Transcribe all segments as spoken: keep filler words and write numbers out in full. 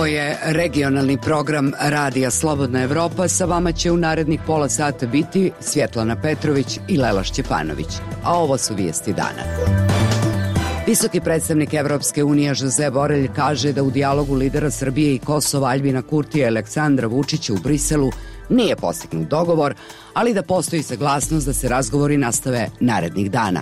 je regionalni program Radija Slobodna Evropa. Sa vama će u narednih pola sata biti Svjetlana Petrović i Lela Šćepanović. A ovo su vijesti dana. Visoki predstavnik Evropske unije Josep Borelj kaže da u dijalogu lidera Srbije i Kosova Aljbina Kurtija i Aleksandra Vučića u Briselu nije postignut dogovor, ali da postoji saglasnost da se razgovori nastave narednih dana.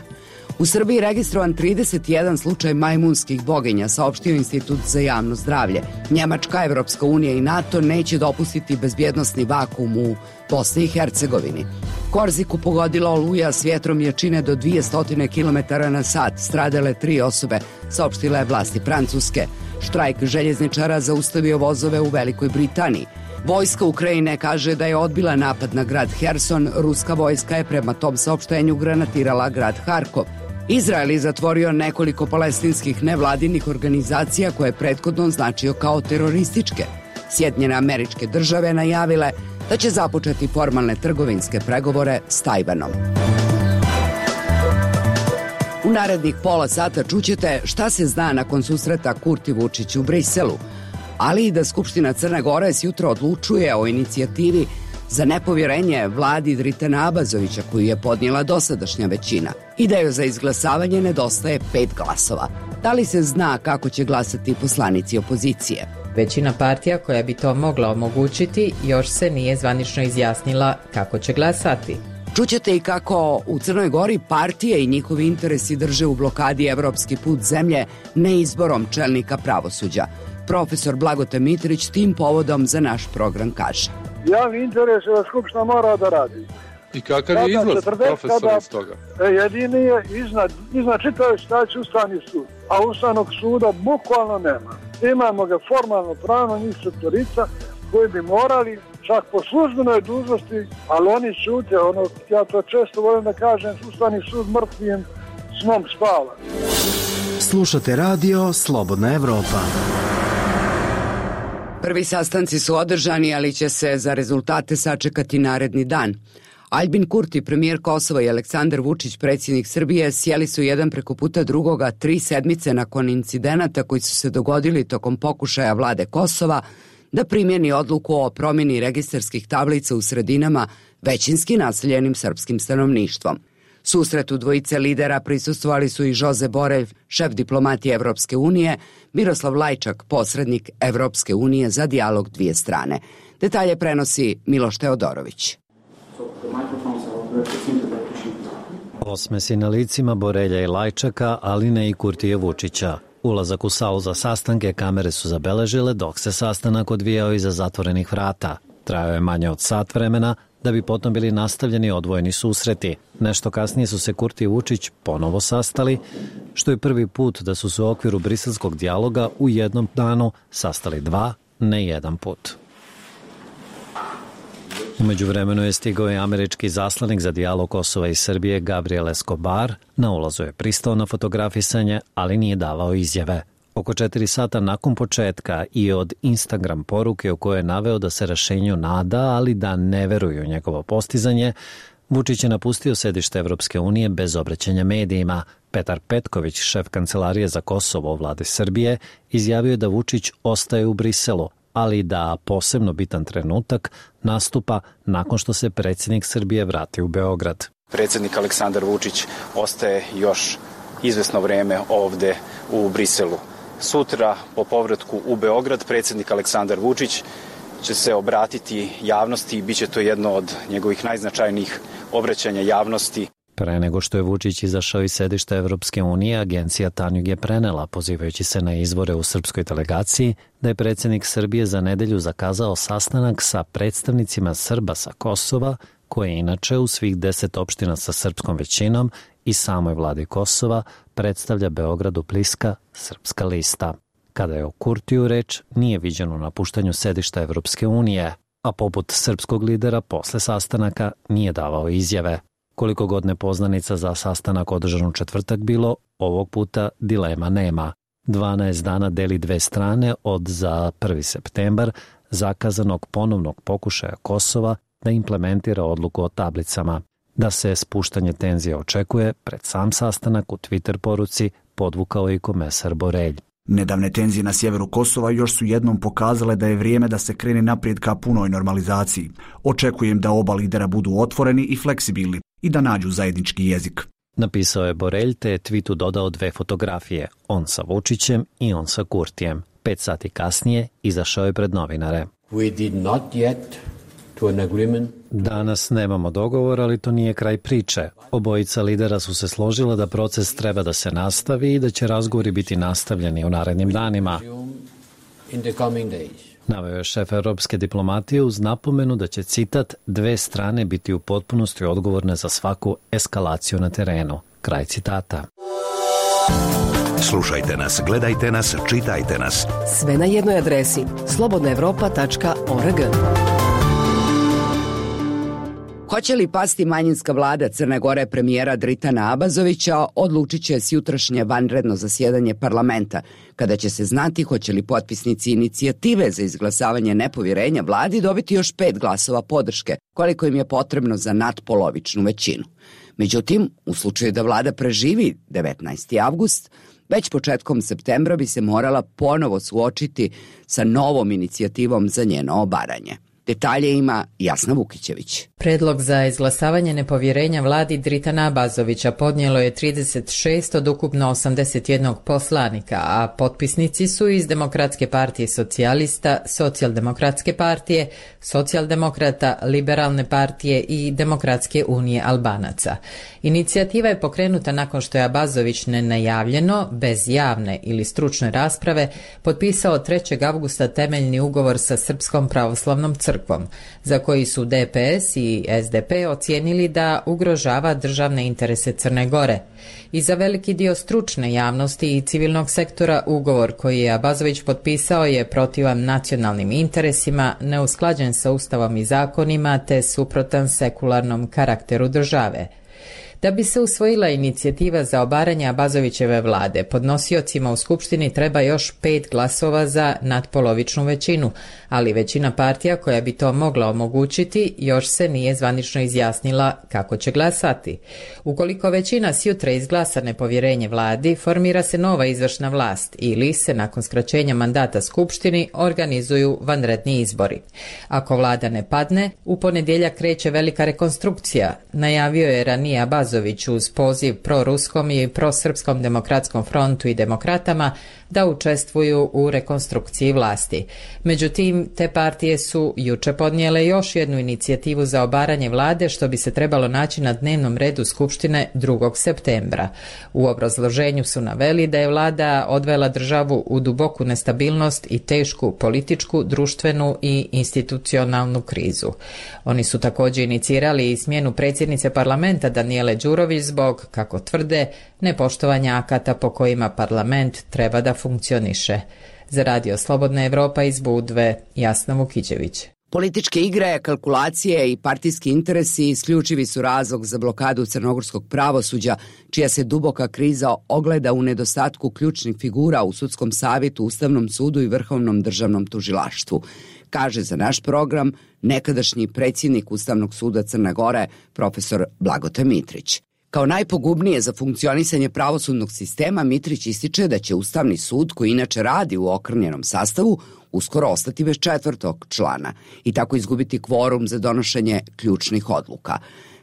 U Srbiji registrovan trideset jedan slučaj majmunskih boginja, saopštio Institut za javno zdravlje. Njemačka, Evropska unija i NATO neće dopustiti bezbjednosni vakuum u Bosni i Hercegovini. Korziku pogodila oluja s vjetrom jačine do dvjesto kilometara na sat. Stradale tri osobe, saopštile vlasti Francuske. Štrajk željezničara zaustavio vozove u Velikoj Britaniji. Vojska Ukrajine kaže da je odbila napad na grad Herson. Ruska vojska je prema tom saopštenju granatirala grad Harkov. Izrael je zatvorio nekoliko palestinskih nevladinih organizacija koje je prethodno označio kao terorističke. Sjedinjene Američke Države najavile da će započeti formalne trgovinske pregovore s Tajvanom. U narednih pola sata čućete šta se zna nakon susreta Kurti Vučić u Briselu, ali i da Skupština Crne Gore sjutra odlučuje o inicijativi za nepovjerenje vladi Dritana Abazovića koju je podnijela dosadašnja većina i da joj za izglasavanje nedostaje pet glasova. Da li se zna kako će glasati poslanici opozicije? Većina partija koja bi to mogla omogućiti još se nije zvanično izjasnila kako će glasati. Čućete i kako u Crnoj Gori partije i njihovi interesi drže u blokadi evropski put zemlje neizborom čelnika pravosuđa. Profesor Blagote Mitrić tim povodom za naš program kaže: javni interes je da Skupština mora da radi. I kakav je izlaz, profesor, iz toga? Jedini je iznad, iznad čitave situacije Ustavni sud, a Ustavnog suda bukvalno nema. Imamo ga formalno pravno njih sektorica koji bi morali čak po službenoj dužnosti, ali oni šute, ono, ja to često volim da kažem, Ustavni sud mrtvim snom spava. Slušate radio Slobodna Evropa. Prvi sastanci su održani, ali će se za rezultate sačekati naredni dan. Aljbin Kurti, premijer Kosova, i Aleksandar Vučić, predsjednik Srbije, sjeli su jedan preko puta drugoga tri sedmice nakon incidenata koji su se dogodili tokom pokušaja vlade Kosova da primjeni odluku o promjeni registarskih tablica u sredinama većinski naseljenim srpskim stanovništvom. Susretu dvojice lidera prisustvovali su i Josep Borelj, šef diplomatije Evropske unije, Miroslav Lajčak, posrednik Evropske unije za dijalog dvije strane. Detalje prenosi Miloš Teodorović. Osmesi na licima Borelja i Lajčaka, ali ne i Kurtija Vučića. Ulazak u salu za sastanke kamere su zabeležile dok se sastanak odvijao iza zatvorenih vrata. Trajao je manje od sat vremena, da bi potom bili nastavljeni odvojeni susreti. Nešto kasnije su se Kurti i Vučić ponovo sastali, što je prvi put da su se u okviru briselskog dijaloga u jednom danu sastali dva, ne jedan put. U međuvremenu je stigao i američki zaslanik za dijalog Kosova i Srbije Gabriel Escobar. Na ulazu je pristao na fotografisanje, ali nije davao izjave. Oko četiri sata nakon početka i od Instagram poruke u kojoj je naveo da se rešenju nada, ali da ne veruju u njegovo postizanje, Vučić je napustio sedište Evropske unije bez obraćanja medijima. Petar Petković, šef kancelarije za Kosovo u vladi Srbije, izjavio je da Vučić ostaje u Briselu, ali da posebno bitan trenutak nastupa nakon što se predsjednik Srbije vrati u Beograd. Predsjednik Aleksandar Vučić ostaje još izvesno vreme ovde u Briselu. Sutra, po povratku u Beograd, predsjednik Aleksandar Vučić će se obratiti javnosti i bit će to jedno od njegovih najznačajnijih obraćanja javnosti. Pre nego što je Vučić izašao iz sedišta Evropske unije, agencija Tanjug je prenela, pozivajući se na izvore u srpskoj delegaciji, da je predsjednik Srbije za nedelju zakazao sastanak sa predstavnicima Srba sa Kosova, koje inače u svih deset opština sa srpskom većinom i samoj vladi Kosova predstavlja Beogradu bliska Srpska lista. Kada je o Kurtiju reč, nije viđeno napuštanju sedišta Evropske unije, a poput srpskog lidera posle sastanaka nije davao izjave. Koliko god nepoznanica za sastanak održan u četvrtak bilo, ovog puta dilema nema. dvanaest dana deli dve strane od za prvi septembar zakazanog ponovnog pokušaja Kosova da implementira odluku o tablicama. Da se spuštanje tenzija očekuje, pred sam sastanak u Twitter poruci podvukao i komesar Borelj. Nedavne tenzije na sjeveru Kosova još su jednom pokazale da je vrijeme da se krene naprijed ka punoj normalizaciji. Očekujem da oba lidera budu otvoreni i fleksibilni i da nađu zajednički jezik. Napisao je Borelj te je tweetu dodao dve fotografije, on sa Vučićem i on sa Kurtijem. Pet sati kasnije izašao je pred novinare. We did not yet to an agreement. Danas nemamo dogovor, ali to nije kraj priče. Obojica lidera su se složila da proces treba da se nastavi i da će razgovori biti nastavljeni u narednim danima. Naveo je šef europske diplomatije uz napomenu da će, citat, dve strane biti u potpunosti odgovorne za svaku eskalaciju na terenu. Kraj citata. Slušajte nas, gledajte nas, čitajte nas. Sve na jednoj adresi slobodna evropa tačka org. Hoće li pasti manjinska vlada Crne Gore premijera Dritana Abazovića, odlučit će sjutrašnje vanredno zasjedanje parlamenta, kada će se znati hoće li potpisnici inicijative za izglasavanje nepovjerenja vladi dobiti još pet glasova podrške, koliko im je potrebno za nadpolovičnu većinu. Međutim, u slučaju da vlada preživi devetnaesti avgust, već početkom septembra bi se morala ponovo suočiti sa novom inicijativom za njeno obaranje. Detalje ima Jasna Vukićević. Predlog za izglasavanje nepovjerenja vladi Dritana Abazovića podnijelo je trideset šest od ukupno osamdeset jednog poslanika, a potpisnici su iz Demokratske partije socijalista, Socijaldemokratske partije, Socijaldemokrata, Liberalne partije i Demokratske unije Albanaca. Inicijativa je pokrenuta nakon što je Abazović nenajavljeno, bez javne ili stručne rasprave, potpisao trećeg avgusta temeljni ugovor sa Srpskom pravoslavnom crkvom, za koji su D P S i S D P ocijenili da ugrožava državne interese Crne Gore. I za veliki dio stručne javnosti i civilnog sektora ugovor koji je Abazović potpisao je protivan nacionalnim interesima, neusklađen sa ustavom i zakonima te suprotan sekularnom karakteru države. Da bi se usvojila inicijativa za obaranje Abazovićeve vlade, podnosiocima u Skupštini treba još pet glasova za nadpolovičnu većinu, ali većina partija koja bi to mogla omogućiti još se nije zvanično izjasnila kako će glasati. Ukoliko većina sjutra izglasa nepovjerenje vladi, formira se nova izvršna vlast ili se nakon skraćenja mandata Skupštini organizuju vanredni izbori. Ako vlada ne padne, u ponedjeljak kreće velika rekonstrukcija, najavio je ranije Abazović uz poziv proruskom i prosrpskom demokratskom frontu i demokratama da učestvuju u rekonstrukciji vlasti. Međutim, te partije su juče podnijele još jednu inicijativu za obaranje vlade, što bi se trebalo naći na dnevnom redu Skupštine drugog septembra. U obrazloženju su naveli da je vlada odvela državu u duboku nestabilnost i tešku političku, društvenu i institucionalnu krizu. Oni su također inicirali i smjenu predsjednice parlamenta Danijele Đurović zbog, kako tvrde, nepoštovanja akata po kojima parlament treba da funkcioniše. Za Radio Slobodna Evropa iz Budve, Jasna Vukićević. Političke igre, kalkulacije i partijski interesi isključivi su razlog za blokadu crnogorskog pravosuđa, čija se duboka kriza ogleda u nedostatku ključnih figura u sudskom savjetu, Ustavnom sudu i Vrhovnom državnom tužilaštvu, kaže za naš program nekadašnji predsjednik Ustavnog suda Crne Gore, profesor Blagote Mitrić. Kao najpogubnije za funkcionisanje pravosudnog sistema, Mitrić ističe da će Ustavni sud, koji inače radi u okrnjenom sastavu, uskoro ostati bez četvrtog člana i tako izgubiti kvorum za donošenje ključnih odluka.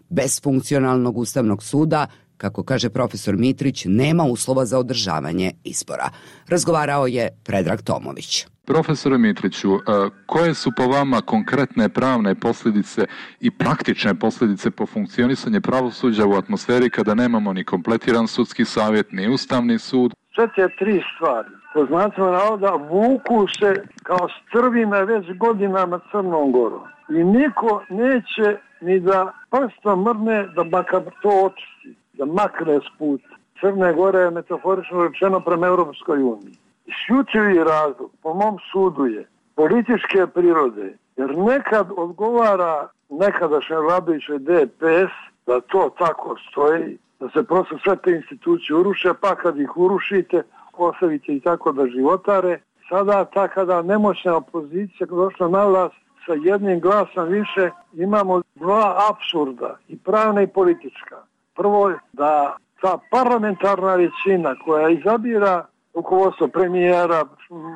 Bez funkcionalnog Ustavnog suda, kako kaže profesor Mitrić, nema uslova za održavanje izbora. Razgovarao je Predrag Tomović. Profesore Mitriću, koje su po vama konkretne pravne posljedice i praktične posljedice po funkcionisanje pravosuđa u atmosferi kada nemamo ni kompletiran sudski savjet, ni Ustavni sud? Sve te tri stvari, po znacima navoda, vuku se kao strvine već godinama Crnom Gorom. I niko neće ni da prstom mrne da makar to očisti, da makne s puta. Crne Gore je metaforično rečeno prema Europskoj uniji. Isključivi razlog, po mom sudu, je političke prirode, jer nekad odgovara nekadašnje vladajuće D P S da to tako stoji, da se prosto sve te institucije uruše, pa kad ih urušite, ostavite i tako da životare. Sada ta kada nemoćna opozicija došla na vlast sa jednim glasom više, imamo dva apsurda, i pravna i politička. Prvo je da ta parlamentarna većina koja izabira rukovodstvo premijera,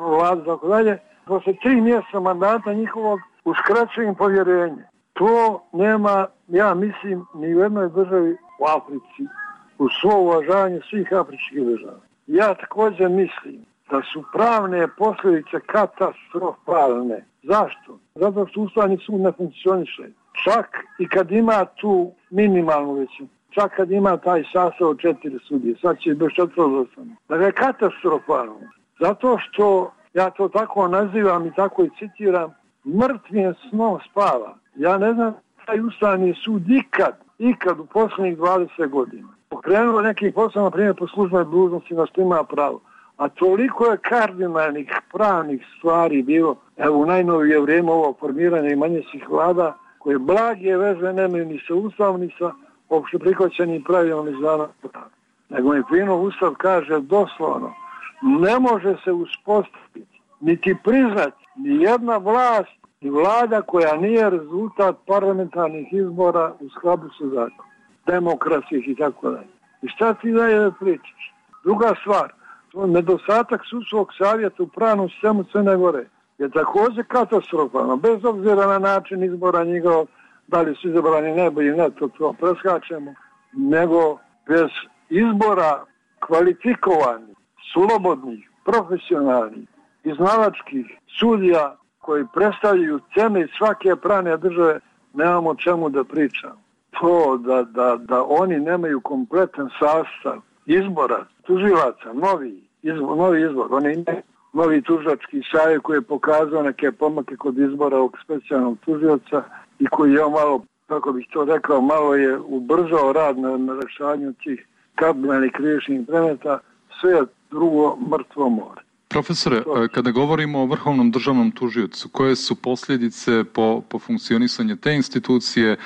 vlada, tako dalje, posle tri mjeseca mandata njihovog uskraćuje im povjerenje. To nema, ja mislim, ni u jednoj državi u Africi, u svo uvažavanje svih afričkih država. Ja također mislim da su pravne posljedice katastrofalne. Zašto? Zato što Ustavni sud ne funkcioniše. Čak i kad ima tu minimalnu većinu, čak kad ima taj sastav od četiri sudije, sad će bez četvrtostano. Dakle, katastrofalno. Zato što, ja to tako nazivam i tako i citiram, mrtvim snom spava. Ja ne znam taj Ustavni sud ikad, ikad u posljednjih dvadeset godina pokrenuo neki posao, na primjer po službenoj dužnosti, na što ima pravo. A toliko je kardinalnih pravnih stvari bilo, evo u najnovije vrijeme ovo formiranje i manjinskih vlada, koje blage veze nemaju ni sa Ustavom, ni sa opšte prihvaćenim pravilom iz dana prava. Nego mi fino Ustav kaže doslovno, ne može se uspostaviti, niti priznati ni jedna vlast, ni vlada koja nije rezultat parlamentarnih izbora u skladu sa zakonom, demokratskih i tako dalje. I šta ti dalje pričaš? Druga stvar, nedostatak sudskog savjeta u pravnom sistemu Crne Gore je također katastrofalno, bez obzira na način izbora njegov, da li su izabrani najbolji, ne, to, to preskačemo, nego bez izbora kvalifikovanih, slobodnih, profesionalnih, iznalačkih sudija koji predstavljaju temelj svake pravne države, nemamo čemu da pričamo. To da, da, da oni nemaju kompletan sastav izbora tužilaca, novi izbor, novi izbor. Oni imaju novi tužilački savjet koji je pokazao neke pomake kod izbora ovog specijalnog tužioca i koji je malo, kako bih to rekao, malo je ubrzao rad na, na rešavanju tih kardinalnih krivičnih predmeta, sve je drugo mrtvo more. Profesore, kada govorimo o Vrhovnom državnom tužiocu, koje su posljedice po, po funkcionisanju te institucije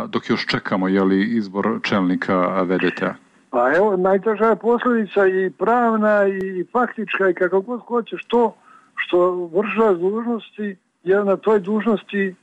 dok još čekamo jeli, izbor čelnika V D T-a? Pa evo, najteža je posljedica i pravna i faktička i kako god hoćeš to što vršilac dužnosti je na toj dužnosti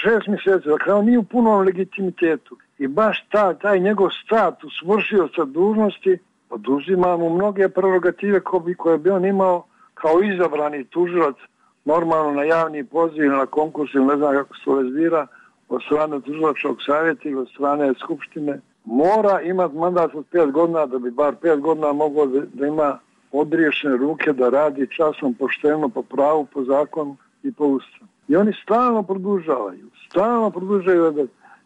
šest mjeseci, dakle on nije u punom legitimitetu i baš ta, taj njegov status vršioca dužnosti oduzima mu mnoge prerogative koje bi on imao kao izabrani tužilac normalno na javni poziv ili na konkurs ili ne znam kako se to zbira od strane tužilačkog savjeta ili od strane skupštine. Mora imati mandat od pet godina da bi bar pet godina mogao da, da ima odriješene ruke da radi časno, pošteno, po pravu, po zakonu i po ustavu. I oni stalno produžavaju, stalno produžavaju da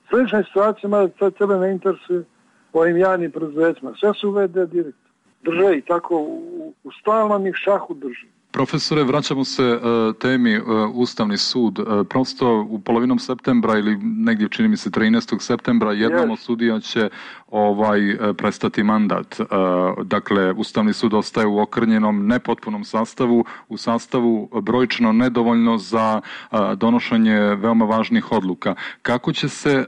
slične situacije, mada tebe ne interesuje po ovim javnim preduzećima. Sve su V D direktor. Drže i tako u, u stalnom ih šahu drži. Profesore, vraćamo se uh, temi uh, Ustavni sud. Uh, prosto u polovinom septembra ili negdje čini mi se trinaestog septembra jednom yes. od sudija će ovaj, uh, prestati mandat. Uh, dakle, Ustavni sud ostaje u okrnjenom, nepotpunom sastavu, u sastavu brojčno nedovoljno za uh, donošenje veoma važnih odluka. Kako će se uh,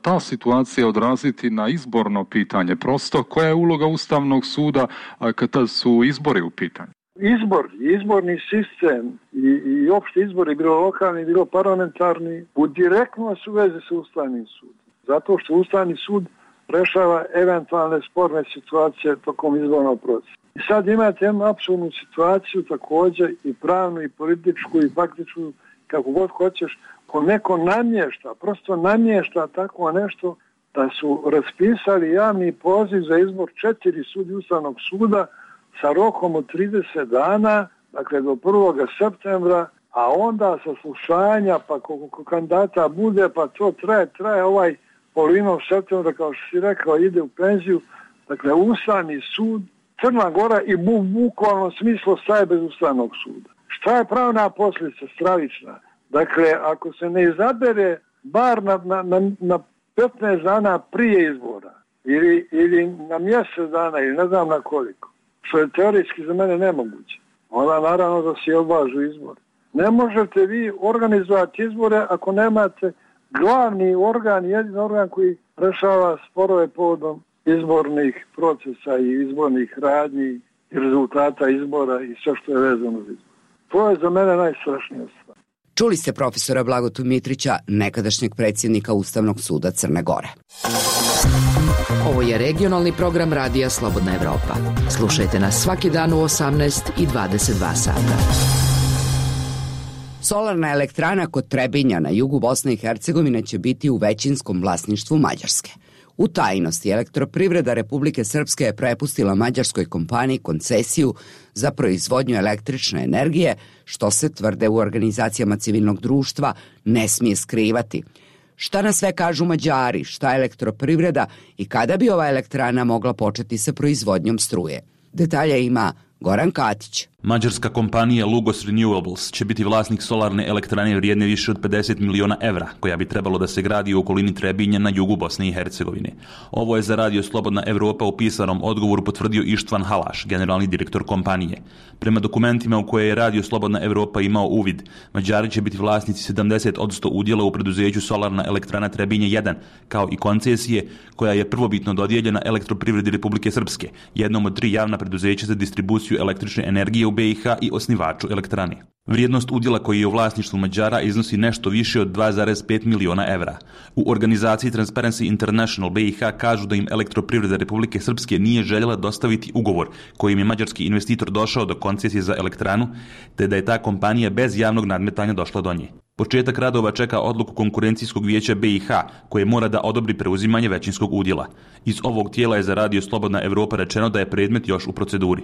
ta situacija odraziti na izborno pitanje? Prosto, koja je uloga Ustavnog suda uh, kada su izbori u pitanju? Izbor, izborni sistem i, i opšti izbori, bilo lokalni, bilo parlamentarni, u direktno su veze sa Ustavnim sudom. Zato što Ustavni sud rešava eventualne sporne situacije tokom izbornog procesa. I sad imate jednu apsolutnu situaciju također i pravnu, i političku, i faktičku, kako god hoćeš, ko neko namješta, prosto namješta tako nešto da su raspisali javni poziv za izbor četiri sudije Ustavnog suda sa rokom od trideset dana, dakle do prvog septembra, a onda sa slušanja, pa koliko kandidata bude, pa to traje, traje ovaj polovinom septembra, kao što si rekao, ide u penziju. Dakle, Ustavni sud, Crna Gora i bu, bukvalno smislu staje bez Ustavnog suda. Šta je pravna posljedica stravična? Dakle, ako se ne izabere bar na, na, na, na petnaest dana prije izbora, ili, ili na mjesec dana, ili ne znam na koliko, što je teorijski za mene nemoguće, onda naravno da se odlažu izbore. Ne možete vi organizovati izbore ako nemate glavni organ, jedini organ koji rešava sporove povodom izbornih procesa i izbornih radnji i rezultata izbora i sve što je vezano za izbor. To je za mene najstrašnija stvar. Čuli ste profesora Blagotu Mitrića, nekadašnjeg predsjednika Ustavnog suda Crne Gore. Ovo je regionalni program Radija Slobodna Evropa. Slušajte nas svaki dan u osamnaest i dvadeset dva sata. Solarna elektrana kod Trebinja na jugu Bosne i Hercegovine će biti u većinskom vlasništvu Mađarske. U tajnosti Elektroprivreda Republike Srpske je prepustila mađarskoj kompaniji koncesiju za proizvodnju električne energije, što se, tvrde u organizacijama civilnog društva, ne smije skrivati. Šta na sve kažu Mađari, šta Elektroprivreda i kada bi ova elektrana mogla početi sa proizvodnjom struje? Detalje ima Goran Katić. Mađarska kompanija Lugos Renewables će biti vlasnik solarne elektrane vrijedne više od pedeset miliona evra, koja bi trebalo da se gradi u okolini Trebinja na jugu Bosne i Hercegovine. Ovo je za Radio Slobodna Evropa u pisanom odgovoru potvrdio Ištvan Halaš, generalni direktor kompanije. Prema dokumentima u koje je Radio Slobodna Evropa imao uvid, Mađari će biti vlasnici sedamdeset posto udjela u preduzeću Solarna elektrana Trebinje jedan, kao i koncesije koja je prvobitno dodijeljena Elektroprivredi Republike Srpske, jednom od tri javna preduzeća za distribuciju električne energije u B i H i osnivaču elektrane. Vrijednost udjela koji je u vlasništvu Mađara iznosi nešto više od dva zarez pet miliona evra. U organizaciji Transparency International B i H kažu da im Elektroprivreda Republike Srpske nije željela dostaviti ugovor kojim je mađarski investitor došao do koncesije za elektranu, te da je ta kompanija bez javnog nadmetanja došla do nje. Početak radova čeka odluku konkurencijskog vijeća B i H, koje mora da odobri preuzimanje većinskog udjela. Iz ovog tijela je za Radio Slobodna Evropa rečeno da je predmet još u proceduri.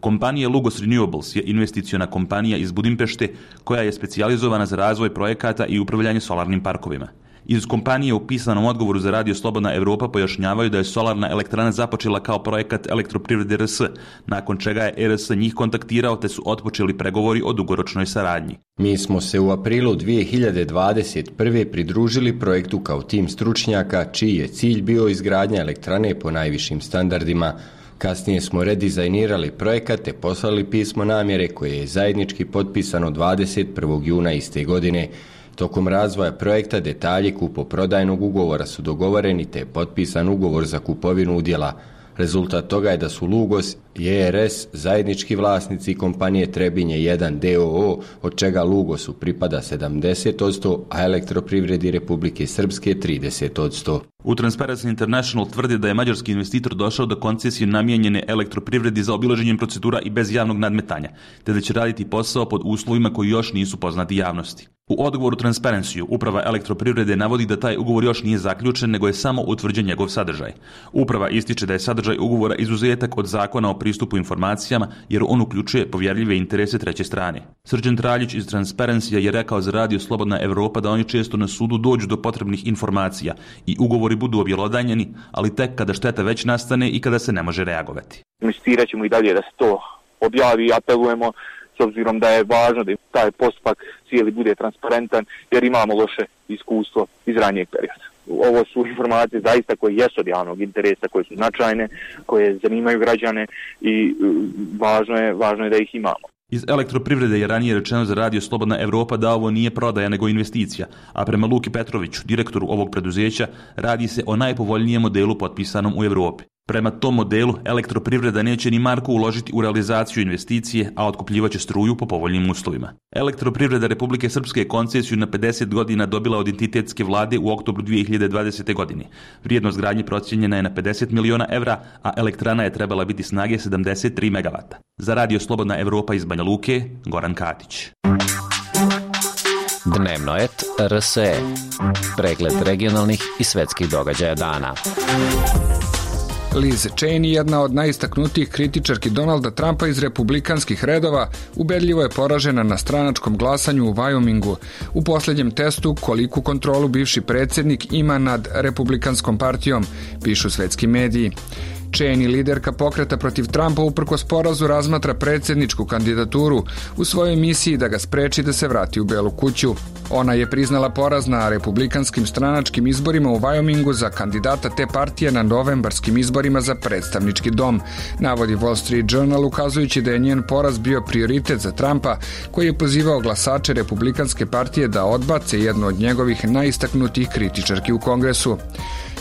Kompanija Lugos Renewables je investiciona kompanija iz Budimpešte koja je specijalizovana za razvoj projekata i upravljanje solarnim parkovima. Iz kompanije u pisanom odgovoru za Radio Slobodna Evropa pojašnjavaju da je solarna elektrana započela kao projekat Elektroprivrede R S, nakon čega je R S njih kontaktirao te su otpočeli pregovori o dugoročnoj saradnji. Mi smo se u aprilu dvije hiljade dvadeset prve pridružili projektu kao tim stručnjaka čiji je cilj bio izgradnja elektrane po najvišim standardima. Kasnije smo redizajnirali projekat te poslali pismo namjere koje je zajednički potpisano dvadeset prvog juna iste godine. Tokom razvoja projekta detalji kupoprodajnog ugovora su dogovoreni te je potpisan ugovor za kupovinu udjela. Rezultat toga je da su Lugos i E R S zajednički vlasnici kompanije Trebinje jedan d o o, od čega Lugosu pripada sedamdeset posto, a Elektroprivredi Republike Srpske trideset posto. U Transparency International tvrdi da je mađarski investitor došao do koncesije namijenjene Elektroprivredi za obilaženjem procedura i bez javnog nadmetanja, te da će raditi posao pod uslovima koji još nisu poznati javnosti. U odgovoru Transparency uprava Elektroprivrede navodi da taj ugovor još nije zaključen, nego je samo utvrđen njegov sadržaj. Uprava ističe da je sadržaj ugovora izuzetak od zakona o pristupu informacijama, jer on uključuje povjerljive interese treće strane. Srđan Traljić iz Transparency je rekao za Radio Slobodna Evropa da oni često na sudu dođu do potrebnih informacija i ugovori budu objelodanjeni, ali tek kada šteta već nastane i kada se ne može reagovati. Investirat ćemo i dalje da se to objavi i apelujemo, s obzirom da je važno da taj postupak cijeli bude transparentan, jer imamo loše iskustvo iz ranijeg perioda. Ovo su informacije zaista koje jesu od javnog interesa, koje su značajne, koje zanimaju građane i važno je, važno je da ih imamo. Iz Elektroprivrede je ranije rečeno za Radio Slobodna Evropa da ovo nije prodaja nego investicija, a prema Luki Petroviću, direktoru ovog preduzeća, radi se o najpovoljnijem modelu potpisanom u Evropi. Prema tom modelu, Elektroprivreda neće ni marku uložiti u realizaciju investicije, a otkupljivaće struju po povoljnim uslovima. Elektroprivreda Republike Srpske koncesiju na pedeset godina dobila od entitetske vlade u oktobru dvije hiljade dvadesete. godine. Vrijednost gradnje procijenjena je na pedeset miliona evra, a elektrana je trebala biti snage sedamdeset tri megavata. Za Radio Slobodna Evropa iz Banja Luke, Goran Katić. Dnevno et R S E. Pregled regionalnih i svetskih događaja dana. Liz Cheney, jedna od najistaknutijih kritičarki Donalda Trumpa iz republikanskih redova, ubedljivo je poražena na stranačkom glasanju u Wyomingu u posljednjem testu koliku kontrolu bivši predsjednik ima nad republikanskom partijom, pišu svetski mediji. Cheney, liderka pokreta protiv Trumpa, uprkos porazu razmatra predsjedničku kandidaturu u svojoj misiji da ga spreči da se vrati u Belu kuću. Ona je priznala poraz na republikanskim stranačkim izborima u Wyomingu za kandidata te partije na novembarskim izborima za predstavnički dom, navodi Wall Street Journal, ukazujući da je njen poraz bio prioritet za Trumpa, koji je pozivao glasače republikanske partije da odbace jednu od njegovih najistaknutijih kritičarki u Kongresu.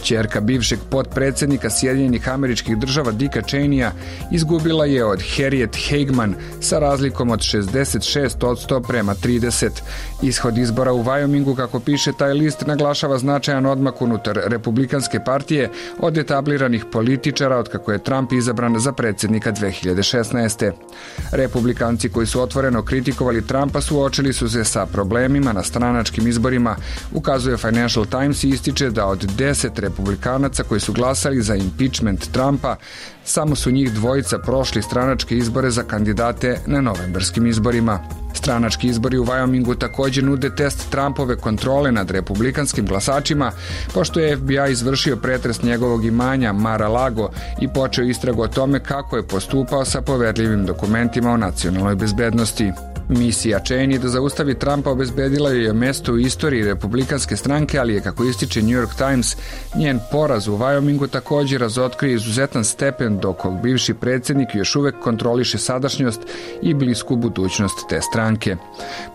Ćerka bivšeg potpredsjednika Sjedinjenih Američkih Država Dicka Cheneya izgubila je od Harriet Hageman sa razlikom od šezdeset šest posto prema trideset. Ishod izbora u Wyomingu, kako piše taj list, naglašava značajan odmak unutar Republikanske partije od etabliranih političara otkako je Trump izabran za predsjednika dve hiljade šesnaeste. Republikanci koji su otvoreno kritikovali Trumpa suočili su se sa problemima na stranačkim izborima, ukazuje Financial Times i ističe da od deset republikanaca koji su glasali za impeachment Trumpa, samo su njih dvojica prošli stranačke izbore za kandidate na novembarskim izborima. Stranački izbori u Wyomingu također nude test Trumpove kontrole nad republikanskim glasačima, pošto je F B I izvršio pretres njegovog imanja Mar-a-Lago i počeo istragu o tome kako je postupao sa poverljivim dokumentima o nacionalnoj bezbednosti. Misija Cheney da zaustavi Trumpa obezbedila je mesto u istoriji republikanske stranke, ali je, kako ističe New York Times, njen poraz u Wyomingu također razotkrije izuzetan stepen dok bivši predsjednik još uvek kontroliše sadašnjost i blisku budućnost te stranke.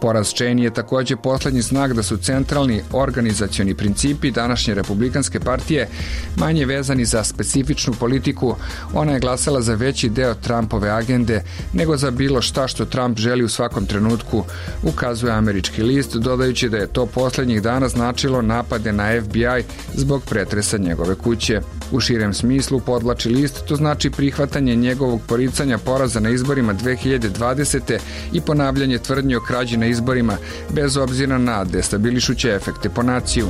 Poraz Cheney je također posljednji znak da su centralni organizacioni principi današnje republikanske partije manje vezani za specifičnu politiku. Ona je glasala za veći deo Trumpove agende nego za bilo šta što Trump želi u svakom trenutku, ukazuje američki list, dodajući da je to posljednjih dana značilo napade na F B I zbog pretresa njegove kuće. U širem smislu, podvlači list, to znači prihvatanje njegovog poricanja poraza na izborima dve hiljade dvadesete i ponavljanje tvrdnji o krađi na izborima, bez obzira na destabilišuće efekte po naciju.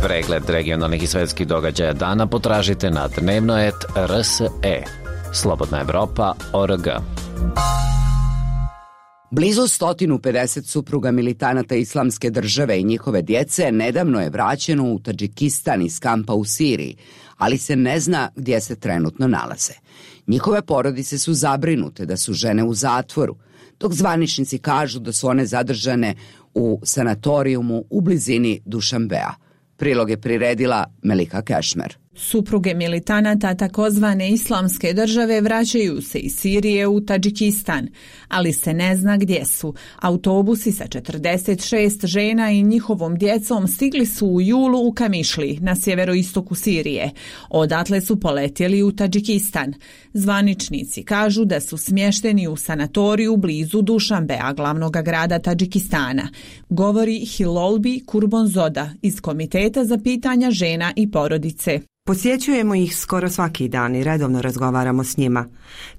Pregled regionalnih i svetskih događaja dana potražite na dnevnoet R S E. Slobodna Evropa O R G. Blizu sto pedeset supruga militanata Islamske države i njihove djece nedavno je vraćeno u Tadžikistan iz kampa u Siriji, ali se ne zna gdje se trenutno nalaze. Njihove porodice su zabrinute da su žene u zatvoru, dok zvaničnici kažu da su one zadržane u sanatorijumu u blizini Dušanbea. Prilog je priredila Melika Kešmer. Supruge militanata takozvane Islamske države vraćaju se iz Sirije u Tadžikistan, ali se ne zna gdje su. Autobusi sa četrdeset šest žena i njihovom djecom stigli su u julu u Kamišli, na sjeveroistoku Sirije. Odatle su poletjeli u Tadžikistan. Zvaničnici kažu da su smješteni u sanatoriju blizu Dušanbea, glavnog grada Tadžikistana. Govori Hilolbi Kurbonzoda iz Komiteta za pitanja žena i porodice. Posjećujemo ih skoro svaki dan i redovno razgovaramo s njima.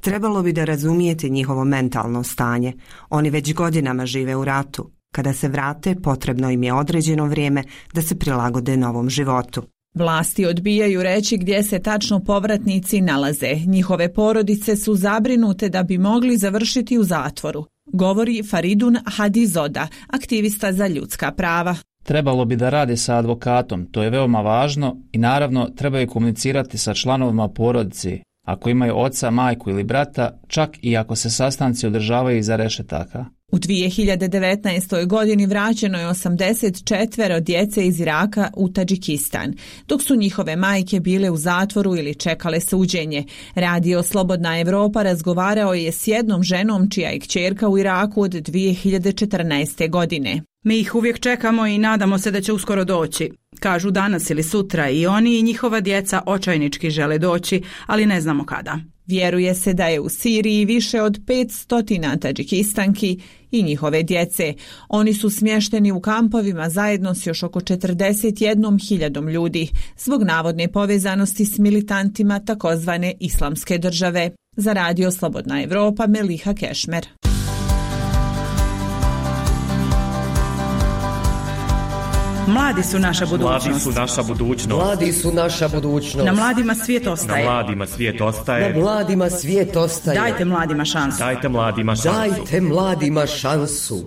Trebalo bi da razumijete njihovo mentalno stanje. Oni već godinama žive u ratu. Kada se vrate, potrebno im je određeno vrijeme da se prilagode novom životu. Vlasti odbijaju reći gdje se tačno povratnici nalaze. Njihove porodice su zabrinute da bi mogli završiti u zatvoru. Govori Faridun Hadizoda, aktivista za ljudska prava. Trebalo bi da rade sa advokatom, to je veoma važno i naravno trebaju komunicirati sa članovima porodice, ako imaju oca, majku ili brata, čak i ako se sastanci održavaju iza rešetaka. U dvije hiljade devetnaestoj. godini vraćeno je osamdeset četiri djece iz Iraka u Tadžikistan, dok su njihove majke bile u zatvoru ili čekale suđenje. Radio Slobodna Evropa razgovarao je s jednom ženom čija je kćerka u Iraku od dvije hiljade četrnaeste. godine. Mi ih uvijek čekamo i nadamo se da će uskoro doći. Kažu danas ili sutra i oni i njihova djeca očajnički žele doći, ali ne znamo kada. Vjeruje se da je u Siriji više od petsto Tadžikistanki i njihove djece. Oni su smješteni u kampovima zajedno s još oko četrdeset jednom hiljadom ljudi zbog navodne povezanosti s militantima takozvane Islamske države. Za Radio Slobodna Evropa, Meliha Kešmer. Mladi su naša budućnost. Mladi su naša budućnost. Mladi su naša budućnost. Na mladima svijet ostaje. Na mladima svijet ostaje. Na mladima svijet ostaje. Dajte mladima šansu. Dajte mladima šansu. Dajte mladima šansu.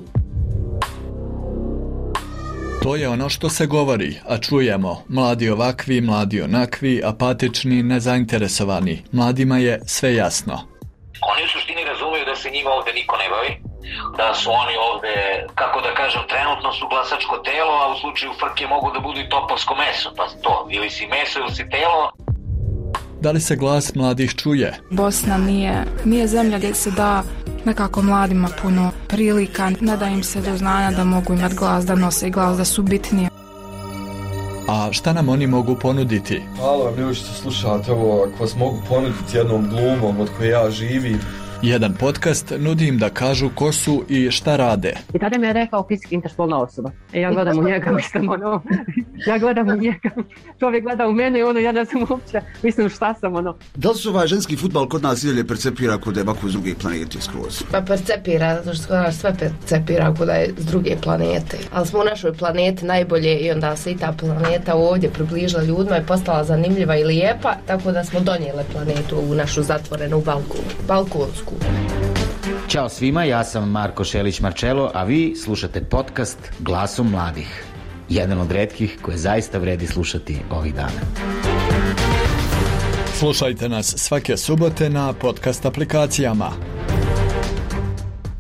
To je ono što se govori, a čujemo. Mladi ovakvi, mladi onakvi, apatični, nezainteresovani. Mladima je sve jasno. Oni u suštini razumiju da se njima ovdje niko ne bavi, da su oni ovdje, kako da kažem, trenutno su glasačko telo, a u slučaju frke mogu da budu i topovsko meso, pa to, ili si meso ili si telo. Da li se glas mladih čuje? Bosna nije, nije zemlja gdje se da nekako mladima puno prilika, ne da im se do znanja da mogu imati glas, da nose glas, da su bitnije. A šta nam oni mogu ponuditi? Hvala vam ljudi što slušate ovo, ako vas mogu ponuditi jednom glumom od koje ja živim. Jedan podcast nudi im da kažu ko su i šta rade. I tada mi je rekao fizički interspolna osoba. E, ja gledam u njega, mislim, ono, ja gledam u njega, čovjek gleda u mene i ono, ja ne znam uopće, mislim šta sam, ono. Da li se ovaj ženski fudbal kod nas i dalje percepira kod je ovako s druge planete skroz? Pa percepira, zato što nas sve percepira kod je s druge planete. Ali smo u našoj planeti najbolje i onda se i ta planeta ovdje približila ljudima i postala zanimljiva i lijepa, tako da smo donijeli planetu u našu zatvorenu balku, balkonsku. Ćao svima, ja sam Marko Šelić-Marčelo, a vi slušate podcast Glasom mladih. Jedan od retkih koje zaista vredi slušati ovih dana. Slušajte nas svake subote na podcast aplikacijama.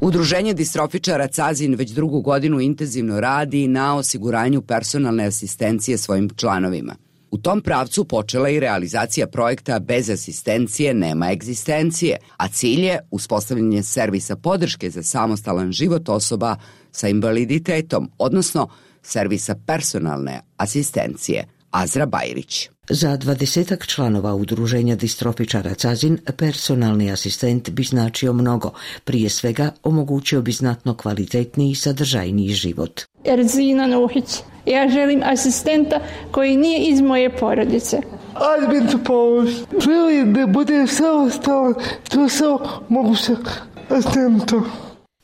Udruženje distrofičara Cazin već drugu godinu intenzivno radi na osiguranju personalne asistencije svojim članovima. U tom pravcu počela i realizacija projekta Bez asistencije nema egzistencije, a cilj je uspostavljanje servisa podrške za samostalan život osoba sa invaliditetom, odnosno servisa personalne asistencije. Azra Bajrić. Za dvadesetak članova udruženja distrofičara Cazin personalni asistent bi značio mnogo. Prije svega omogućio bi znatno kvalitetniji i sadržajniji život. Erzina Nuhić. Ja želim asistenta koji nije iz moje porodice. Admin to pomoć. Želim da bude samostalan, to samo mogu se asistentom.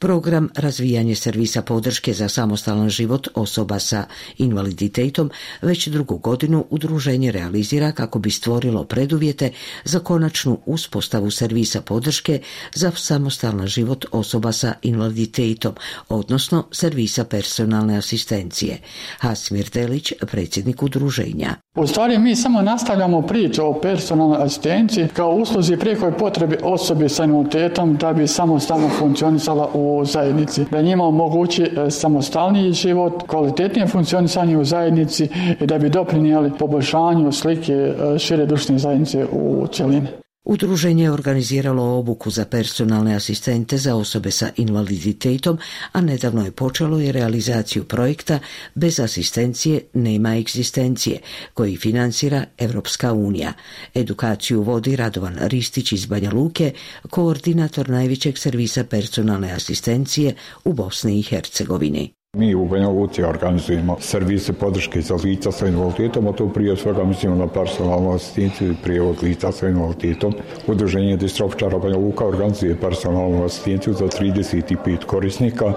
Program razvijanje servisa podrške za samostalan život osoba sa invaliditetom već drugu godinu udruženje realizira kako bi stvorilo preduvjete za konačnu uspostavu servisa podrške za samostalan život osoba sa invaliditetom, odnosno servisa personalne asistencije. Hasimir Delić, predsjednik udruženja. U stvari mi samo nastavljamo priču o personalnoj asistenciji kao usluzi prijekoj potrebi osobe sa invaliditetom da bi samostalno funkcionisala u zajednici, da njima omogući samostalniji život, kvalitetnije funkcionisanje u zajednici i da bi doprinijeli poboljšanju slike šire društvene zajednice u cjelini. Udruženje je organiziralo obuku za personalne asistente za osobe sa invaliditetom, a nedavno je počelo i realizaciju projekta Bez asistencije nema egzistencije, koji financira Evropska unija. Edukaciju vodi Radovan Ristić iz Banja Luke, koordinator najvećeg servisa personalne asistencije u Bosni i Hercegovini. Mi u Banja Luci organizujemo servise podrške za lica sa invaliditetom, a to prije svega mislimo na personalnu asistenciju i prijevod lica sa invaliditetom. Udruženje distrofičara Banja Luka organizuje personalnu asistenciju za trideset pet korisnika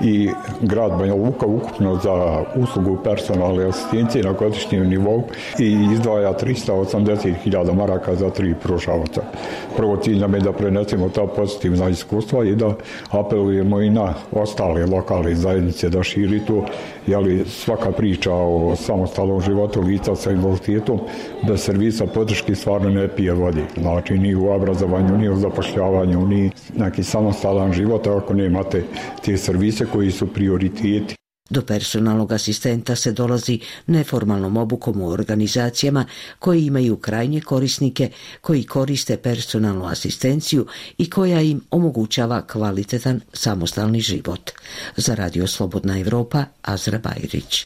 i grad Banja Luka ukupno za uslugu personalne asistencije na godišnjem nivou i izdvaja tristo osamdeset hiljada maraka za tri pružavaca. Prvo cilj nam je da prenesemo ta pozitivna iskustva i da apelujemo i na ostale lokalne zajednice da širi to, jeli svaka priča o samostalnom životu lica sa invaliditetom bez servisa podrške stvarno ne pije vodi. Znači ni u obrazovanju, ni u zapošljavanju, ni neki samostalan život ako nemate te servise koji su prioriteti. Do personalnog asistenta se dolazi neformalnom obukom u organizacijama koji imaju krajnje korisnike koji koriste personalnu asistenciju i koja im omogućava kvalitetan samostalni život. Za Radio Slobodna Evropa, Azra Bajrić.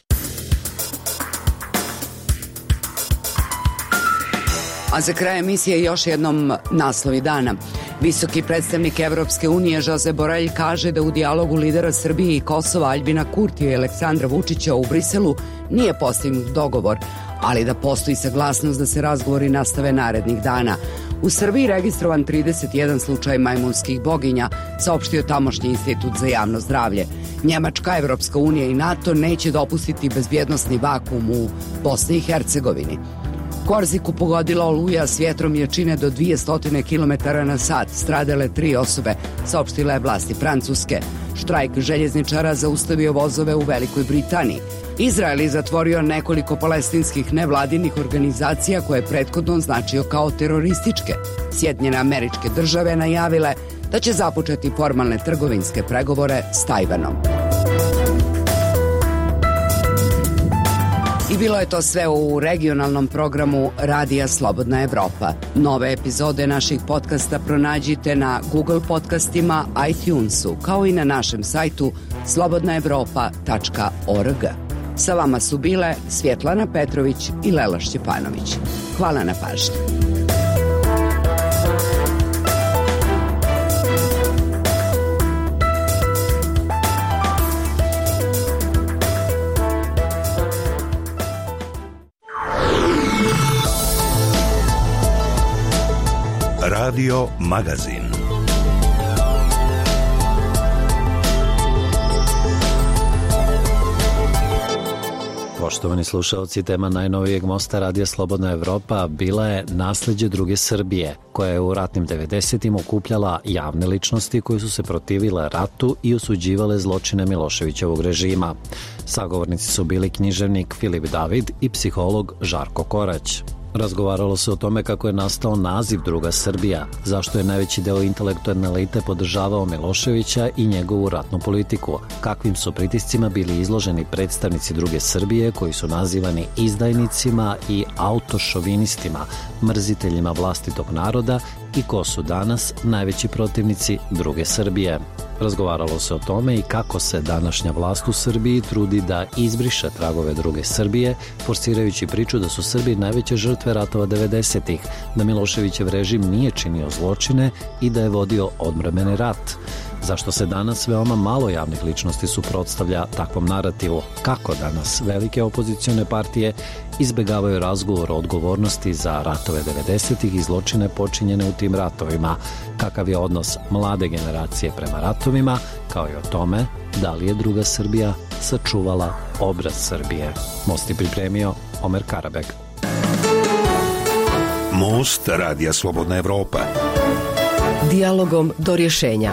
A za kraj emisije još jednom naslovi dana. Visoki predstavnik Evropske unije Josep Borrell kaže da u dijalogu lidera Srbije i Kosova Aljbina Kurtija i Aleksandra Vučića u Briselu nije postignut dogovor, ali da postoji saglasnost da se razgovori nastave narednih dana. U Srbiji registrovan trideset jedan slučaj majmunskih boginja, saopštio tamošnji institut za javno zdravlje. Njemačka, Evropska unija i NATO neće dopustiti bezbjednosni vakuum u Bosni i Hercegovini. Korziku pogodila oluja s vjetrom jačine do dvjesto kilometara na sat, stradale tri osobe, saopštile vlasti Francuske. Štrajk željezničara zaustavio vozove u Velikoj Britaniji. Izrael je zatvorio nekoliko palestinskih nevladinih organizacija koje je prethodno označio kao terorističke. Sjedinjene Američke Države najavile da će započeti formalne trgovinske pregovore s Tajvanom. I bilo je to sve u regionalnom programu Radija Slobodna Evropa. Nove epizode naših podcasta pronađite na Google podcastima, iTunesu, kao i na našem sajtu slobodna evropa tačka org. Sa vama su bile Svjetlana Petrović i Lela Šćepanović. Hvala na pažnji. Radio Magazin. Poštovani slušalci, tema najnovijeg mosta Radija Slobodna Evropa bila je nasljeđe druge Srbije, koja je u ratnim devedesetim okupljala javne ličnosti koje su se protivile ratu i osuđivale zločine Miloševićevog režima. Sagovornici su bili književnik Filip David i psiholog Žarko Korać. Razgovaralo se o tome kako je nastao naziv Druga Srbija, zašto je najveći deo intelektualne elite podržavao Miloševića i njegovu ratnu politiku, kakvim su pritiscima bili izloženi predstavnici Druge Srbije koji su nazivani izdajnicima i autošovinistima, mrziteljima vlastitog naroda i ko su danas najveći protivnici Druge Srbije. Razgovaralo se o tome i kako se današnja vlast u Srbiji trudi da izbriše tragove Druge Srbije, forsirajući priču da su Srbi najveće žrtve ratova devedesetih, da Miloševićev režim nije činio zločine i da je vodio odbrambeni rat. Zašto se danas veoma malo javnih ličnosti suprotstavlja takvom narativu? Kako danas velike opozicione partije izbegavaju razgovor o odgovornosti za ratove devedesetih i zločine počinjene u tim ratovima? Kakav je odnos mlade generacije prema ratovima, kao i o tome da li je Druga Srbija sačuvala obraz Srbije? Most je pripremio Omer Karabeg. Most Radija Slobodna Evropa. Dijalogom do rješenja.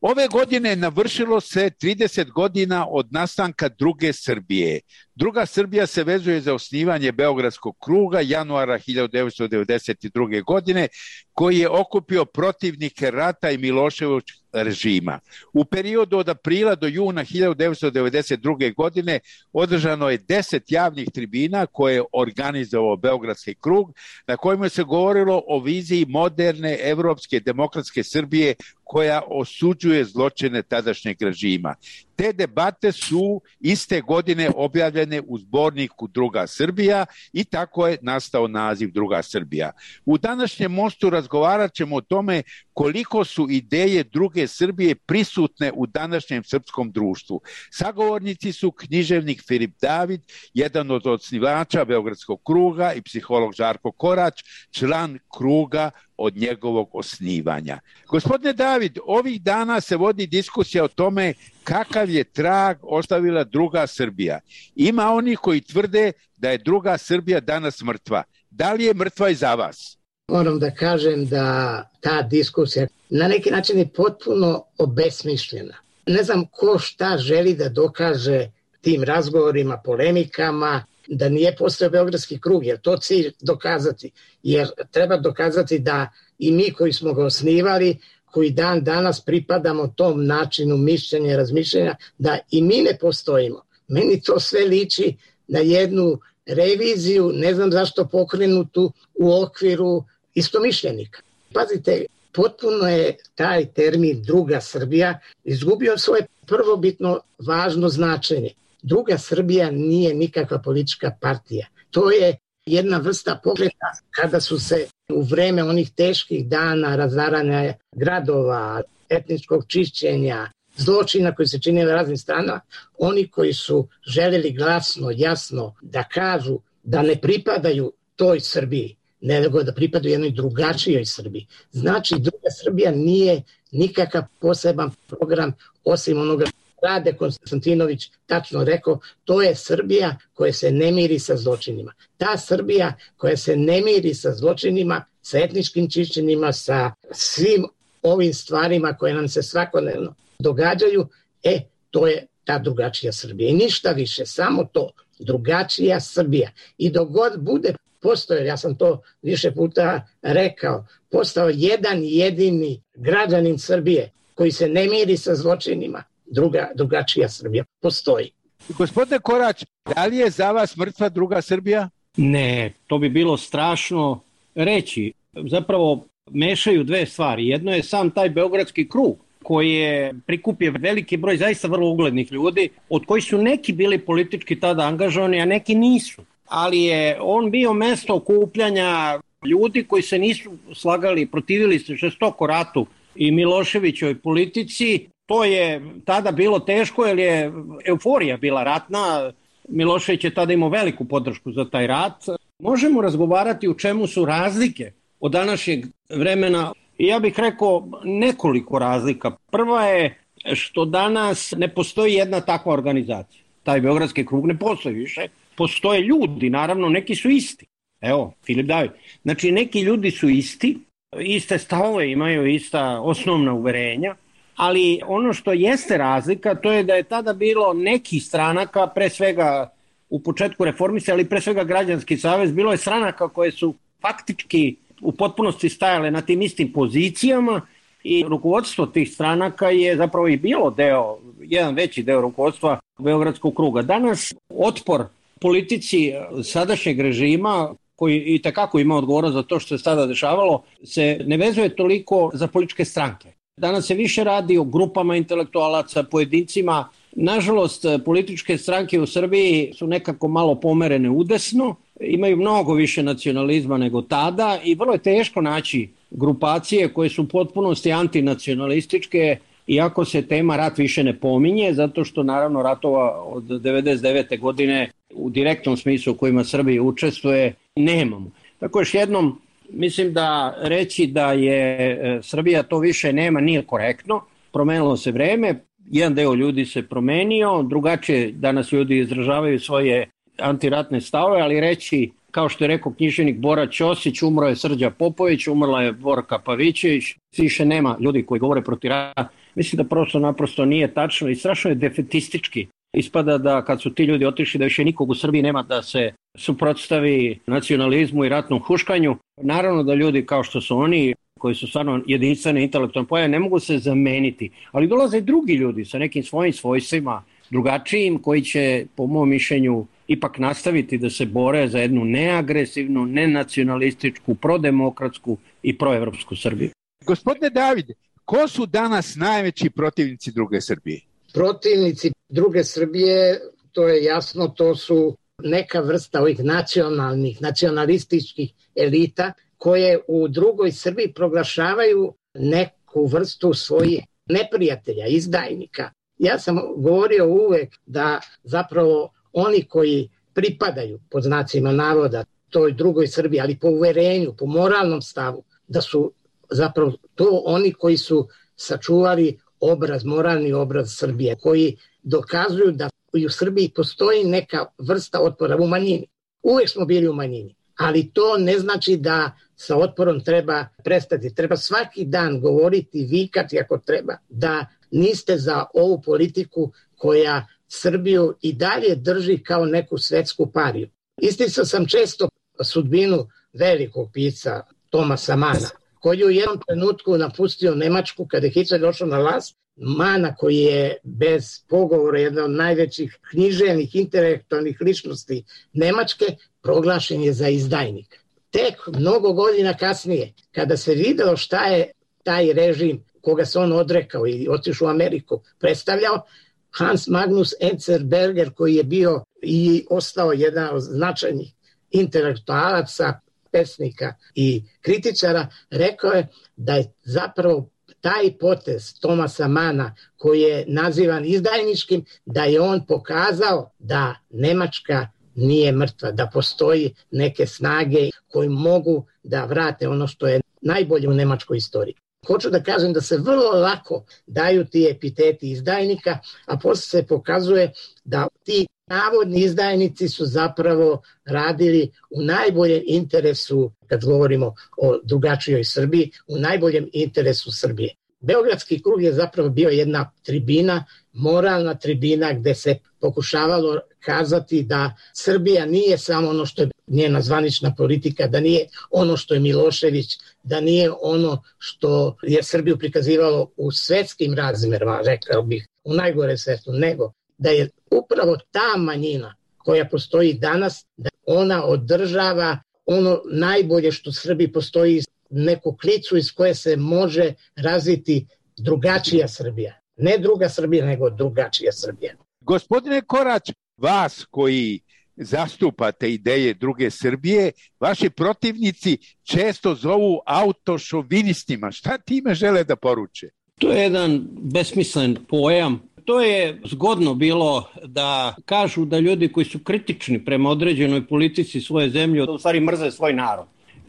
Ove godine navršilo se trideset godina od nastanka Druge Srbije. Druga Srbija se vezuje za osnivanje Beogradskog kruga januara hiljadu devetsto devedeset druge. godine, koji je okupio protivnike rata i Miloševićevog režima. U periodu od aprila do juna hiljadu devetsto devedeset druge. godine održano je deset javnih tribina koje je organizovao Beogradski krug, na kojima se govorilo o viziji moderne evropske demokratske Srbije koja osuđuje zločine tadašnjeg režima. Te debate su iste godine objavljene u zborniku Druga Srbija i tako je nastao naziv Druga Srbija. U današnjem mostu razgovarat ćemo o tome koliko su ideje Druge Srbije prisutne u današnjem srpskom društvu. Sagovornici su književnik Filip David, jedan od osnivača Beogradskog kruga, i psiholog Žarko Korać, član kruga od njegovog osnivanja. Gospodine David, ovih dana se vodi diskusija o tome kakav je trag ostavila Druga Srbija. Ima oni koji tvrde da je Druga Srbija danas mrtva. Da li je mrtva i za vas? Moram da kažem da ta diskusija na neki način je potpuno obesmišljena. Ne znam ko šta želi da dokaže tim razgovorima, polemikama, da nije postao Beogradski krug, jer to cilj dokazati. Jer treba dokazati da i mi koji smo ga osnivali, koji dan danas pripadamo tom načinu mišljenja i razmišljenja, da i mi ne postojimo. Meni to sve liči na jednu reviziju, ne znam zašto pokrenutu u okviru istomišljenika. Pazite, potpuno je taj termin Druga Srbija izgubio svoje prvobitno važno značenje. Druga Srbija nije nikakva politička partija. To je jedna vrsta pokreta kada su se u vreme onih teških dana razaranja gradova, etničkog čišćenja, zločina koji se činili na raznim stranama, oni koji su željeli glasno, jasno da kažu da ne pripadaju toj Srbiji, nego da pripadaju jednoj drugačijoj Srbiji. Znači, Druga Srbija nije nikakav poseban program osim onoga Rade Konstantinović tačno rekao, to je Srbija koja se ne miri sa zločinima. Ta Srbija koja se ne miri sa zločinima, sa etničkim čišćenjima, sa svim ovim stvarima koje nam se svakodnevno događaju, e, to je ta drugačija Srbija. I ništa više, samo to, drugačija Srbija. I dok god bude postojao, ja sam to više puta rekao, postao jedan jedini građanin Srbije koji se ne miri sa zločinima, druga, drugačija Srbija postoji. Gospodine Korać, da li je za vas mrtva Druga Srbija? Ne, to bi bilo strašno reći. Zapravo mešaju dve stvari. Jedno je sam taj Beogradski krug koje prikupio veliki broj zaista vrlo uglednih ljudi, od kojih su neki bili politički tada angažovani, a neki nisu. Ali je on bio mesto okupljanja ljudi koji se nisu slagali, protivili se žestoko ratu i Miloševićoj politici. To je tada bilo teško jer je euforija bila ratna. Milošević je tada imao veliku podršku za taj rat. Možemo razgovarati u čemu su razlike od današnjeg vremena. Ja bih rekao nekoliko razlika. Prva je što danas ne postoji jedna takva organizacija. Taj Beogradski krug ne postoji više. Postoje ljudi, naravno, neki su isti. Evo, Filip David. Znači, neki ljudi su isti, iste stavove imaju, ista osnovna uverenja, ali ono što jeste razlika, to je da je tada bilo nekih stranaka, pre svega u početku reformista, ali pre svega Građanski savez, bilo je stranaka koje su faktički u potpunosti stajale na tim istim pozicijama i rukovodstvo tih stranaka je zapravo i bilo deo, jedan veći deo rukovodstva Beogradskog kruga. Danas otpor politici sadašnjeg režima, koji i takako ima odgovornost za to što se tada dešavalo, se ne vezuje toliko za političke stranke. Danas se više radi o grupama intelektualaca, pojedincima. Nažalost, političke stranke u Srbiji su nekako malo pomerene udesno, imaju mnogo više nacionalizma nego tada i vrlo je teško naći grupacije koje su u potpunosti antinacionalističke, iako se tema rat više ne pominje, zato što naravno ratova od devedeset devete godine u direktnom smislu u kojima Srbija učestvuje nemamo. Tako još jednom, mislim da reći da je Srbija to više nema nije korektno, promenilo se vreme, jedan deo ljudi se promenio, drugačije danas ljudi izražavaju svoje antiratne stavove, ali reći, kao što je rekao književnik Bora Ćosić, umro je Srđa Popović, umrla je Borka Pavićević, više nema ljudi koji govore protiv rata. Mislim da prosto naprosto nije tačno i strašno je defetistički. Ispada da kad su ti ljudi otišli da više nikog u Srbiji nema da se suprotstavi nacionalizmu i ratnom huškanju. Naravno da ljudi kao što su oni, koji su stvarno jedinstvene intelektualne pojave, ne mogu se zameniti. Ali dolaze drugi ljudi sa nekim svojim svojstvima, drugačijim, koji će, po mom mišljenju, ipak nastaviti da se bore za jednu neagresivnu, nenacionalističku, prodemokratsku i proevropsku Srbiju. Gospodine Davide, ko su danas najveći protivnici druge Srbije? Protivnici druge Srbije, to je jasno, to su neka vrsta ovih nacionalnih, nacionalističkih elita koje u drugoj Srbiji proglašavaju neku vrstu svojih neprijatelja, izdajnika. Ja sam govorio uvek da zapravo oni koji pripadaju, pod znacima navoda, toj drugoj Srbiji, ali po uverenju, po moralnom stavu, da su zapravo to oni koji su sačuvali obraz, moralni obraz Srbije, koji dokazuju da u Srbiji postoji neka vrsta otpora u manjini. Uvek smo bili u manjini, ali to ne znači da sa otporom treba prestati. Treba svaki dan govoriti, vikati ako treba, da niste za ovu politiku koja Srbiju i dalje drži kao neku svetsku pariju. Isticao sam često sudbinu velikog pisca Tomasa Mana, koji je u jednom trenutku napustio Nemačku kada je Hitler došao na vlast. Mana, koji je bez pogovora jedna od najvećih književnih, intelektualnih ličnosti Nemačke, proglašen je za izdajnika. Tek mnogo godina kasnije, kada se videlo šta je taj režim koga se on odrekao i otišao u Ameriku predstavljao, Hans Magnus Enzensberger, koji je bio i ostao jedan od značajnih intelektualaca, pesnika i kritičara, rekao je da je zapravo taj potez Tomasa Mana, koji je nazivan izdajničkim, da je on pokazao da Nemačka nije mrtva, da postoji neke snage koji mogu da vrate ono što je najbolje u nemačkoj istoriji. Hoću da kažem da se vrlo lako daju ti epiteti izdajnika, a posle se pokazuje da ti navodni izdajnici su zapravo radili u najboljem interesu, kad govorimo o drugačijoj Srbiji, u najboljem interesu Srbije. Beogradski krug je zapravo bio jedna tribina, moralna tribina gde se pokušavalo kazati da Srbija nije samo ono što je njena zvanična politika, da nije ono što je Milošević, da nije ono što je Srbiju prikazivalo u svetskim razmerama, rekao bih, u najgore svetu, nego da je upravo ta manjina koja postoji danas, da ona održava ono najbolje što Srbiji postoji, neku klicu iz koje se može razviti drugačija Srbija. Ne druga Srbija, nego drugačija Srbija. Gospodine Korać, vas koji zastupate ideje druge Srbije, vaši protivnici često zovu autošovinistima. Šta time žele da poruče? To je jedan besmislen pojam. To je zgodno bilo da kažu da ljudi koji su kritični prema određenoj politici svoje zemlje u stvari mrze svoj narod.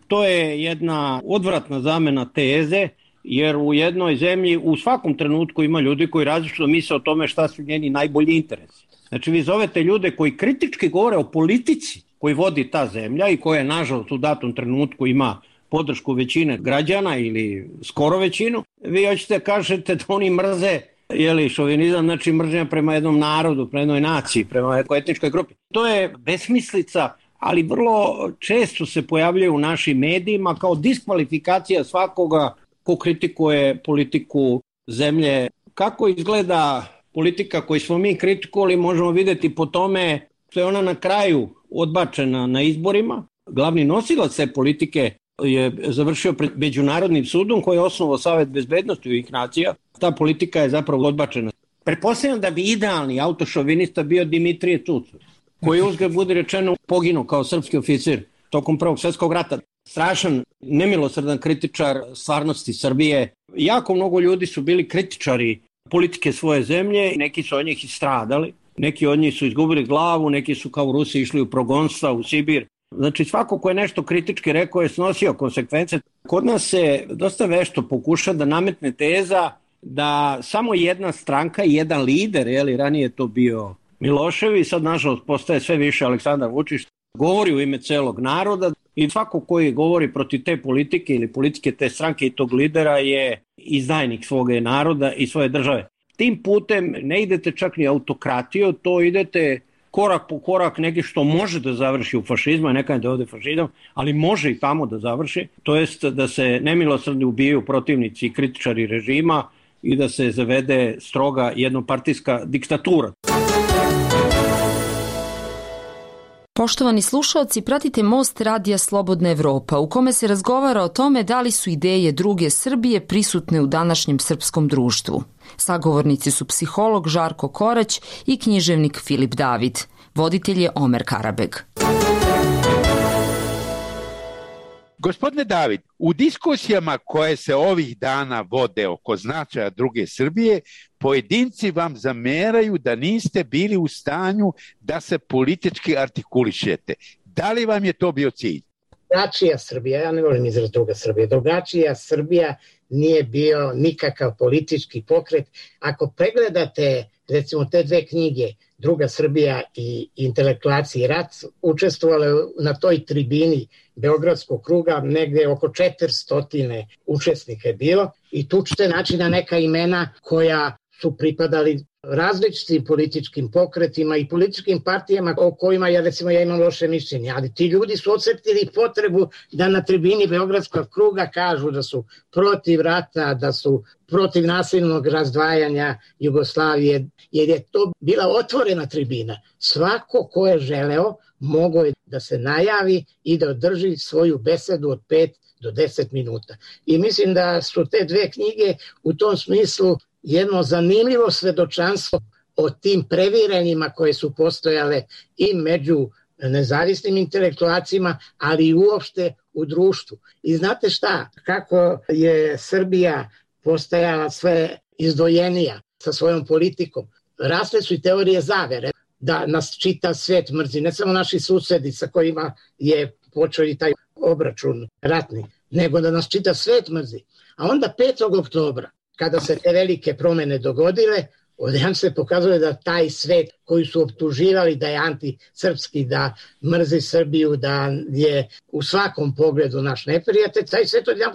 To je jedna odvratna zamena teze, jer u jednoj zemlji u svakom trenutku ima ljudi koji različito misle o tome šta su njeni najbolji interesi. Znači vi zovete ljude koji kritički govore o politici koji vodi ta zemlja i koja nažalost u datom trenutku ima podršku većine građana ili skoro većinu, vi hoćete kažete da oni mrze jeli, šovinizam, znači mržnja prema jednom narodu, prema jednoj naciji, prema jednoj etničkoj grupi. To je besmislica, ali vrlo često se pojavljaju u našim medijima kao diskvalifikacija svakoga ko kritikuje politiku zemlje. Kako izgleda politika koju smo mi kritikovali možemo vidjeti po tome što je ona na kraju odbačena na izborima. Glavni nosilac te politike je završio pred Međunarodnim sudom koji je osnovao Savet bezbednosti Ujedinjenih nacija. Ta politika je zapravo odbačena. Pretpostavljam da bi idealni autošovinista bio Dimitrije Tucović, koji uzgled budi rečeno poginuo kao srpski oficir tokom Prvog svjetskog rata. Strašan, nemilosrdan kritičar stvarnosti Srbije. Jako mnogo ljudi su bili kritičari politike svoje zemlje, neki su od njih i stradali, neki od njih su izgubili glavu, neki su kao u Rusiji išli u progonstva, u Sibir. Znači svako ko je nešto kritički rekao je snosio konsekvence. Kod nas se dosta vešto pokuša da nametne teza da samo jedna stranka i jedan lider, jeli, ranije je to bio Milošević, sad nažalost postaje sve više Aleksandar Vučić, govori u ime celog naroda i svako koji govori protiv te politike ili politike te stranke i tog lidera je izdajnik svoga naroda i svoje države. Tim putem ne idete čak ni autokratiju, to idete korak po korak negdje što može da završi u fašizmu, neka da ode fašizam, ali može i tamo da završi, to jest da se nemilosrdno ubijaju protivnici i kritičari režima i da se zavede stroga jednopartijska diktatura. Poštovani slušalci, pratite Most radija Slobodna Evropa, u kome se razgovara o tome da li su ideje druge Srbije prisutne u današnjem srpskom društvu. Sagovornici su psiholog Žarko Korać i književnik Filip David. Voditelj je Omer Karabeg. Gospodine David, u diskusijama koje se ovih dana vode oko značaja druge Srbije, pojedinci vam zameraju da niste bili u stanju da se politički artikulišete. Da li vam je to bio cilj? Drugačija Srbija, ja ne volim izraz druga Srbija, drugačija Srbija nije bio nikakav politički pokret. Ako pregledate recimo te dve knjige, Druga Srbija i Intelektualci i rat, učestvovale na toj tribini Beogradskog kruga, negde oko četiristo učesnika je bilo i tu ćete naći na neka imena koja su pripadali različitim političkim pokretima i političkim partijama o kojima ja recimo ja imam loše mišljenje, ali ti ljudi su osjetili potrebu da na tribini Beogradskog kruga kažu da su protiv rata, da su protiv nasilnog razdvajanja Jugoslavije, jer je to bila otvorena tribina. Svako ko je želeo mogao je da se najavi i da održi svoju besedu od pet do deset minuta. I mislim da su te dve knjige u tom smislu jedno zanimljivo svedočanstvo o tim previranjima koje su postojale i među nezavisnim intelektualcima, ali i uopšte u društvu. I znate šta, kako je Srbija postajala sve izdvojenija sa svojom politikom, rasle su i teorije zavere da nas čita svet mrzi, ne samo naši susedi sa kojima je počeo i taj obračun ratni, nego da nas čita svet mrzi. A onda petog oktobra, kada se te velike promene dogodile, odjedan se pokazuje da taj svet koji su optuživali da je antisrpski, da mrzi Srbiju, da je u svakom pogledu naš neprijatelj, taj svet odjedan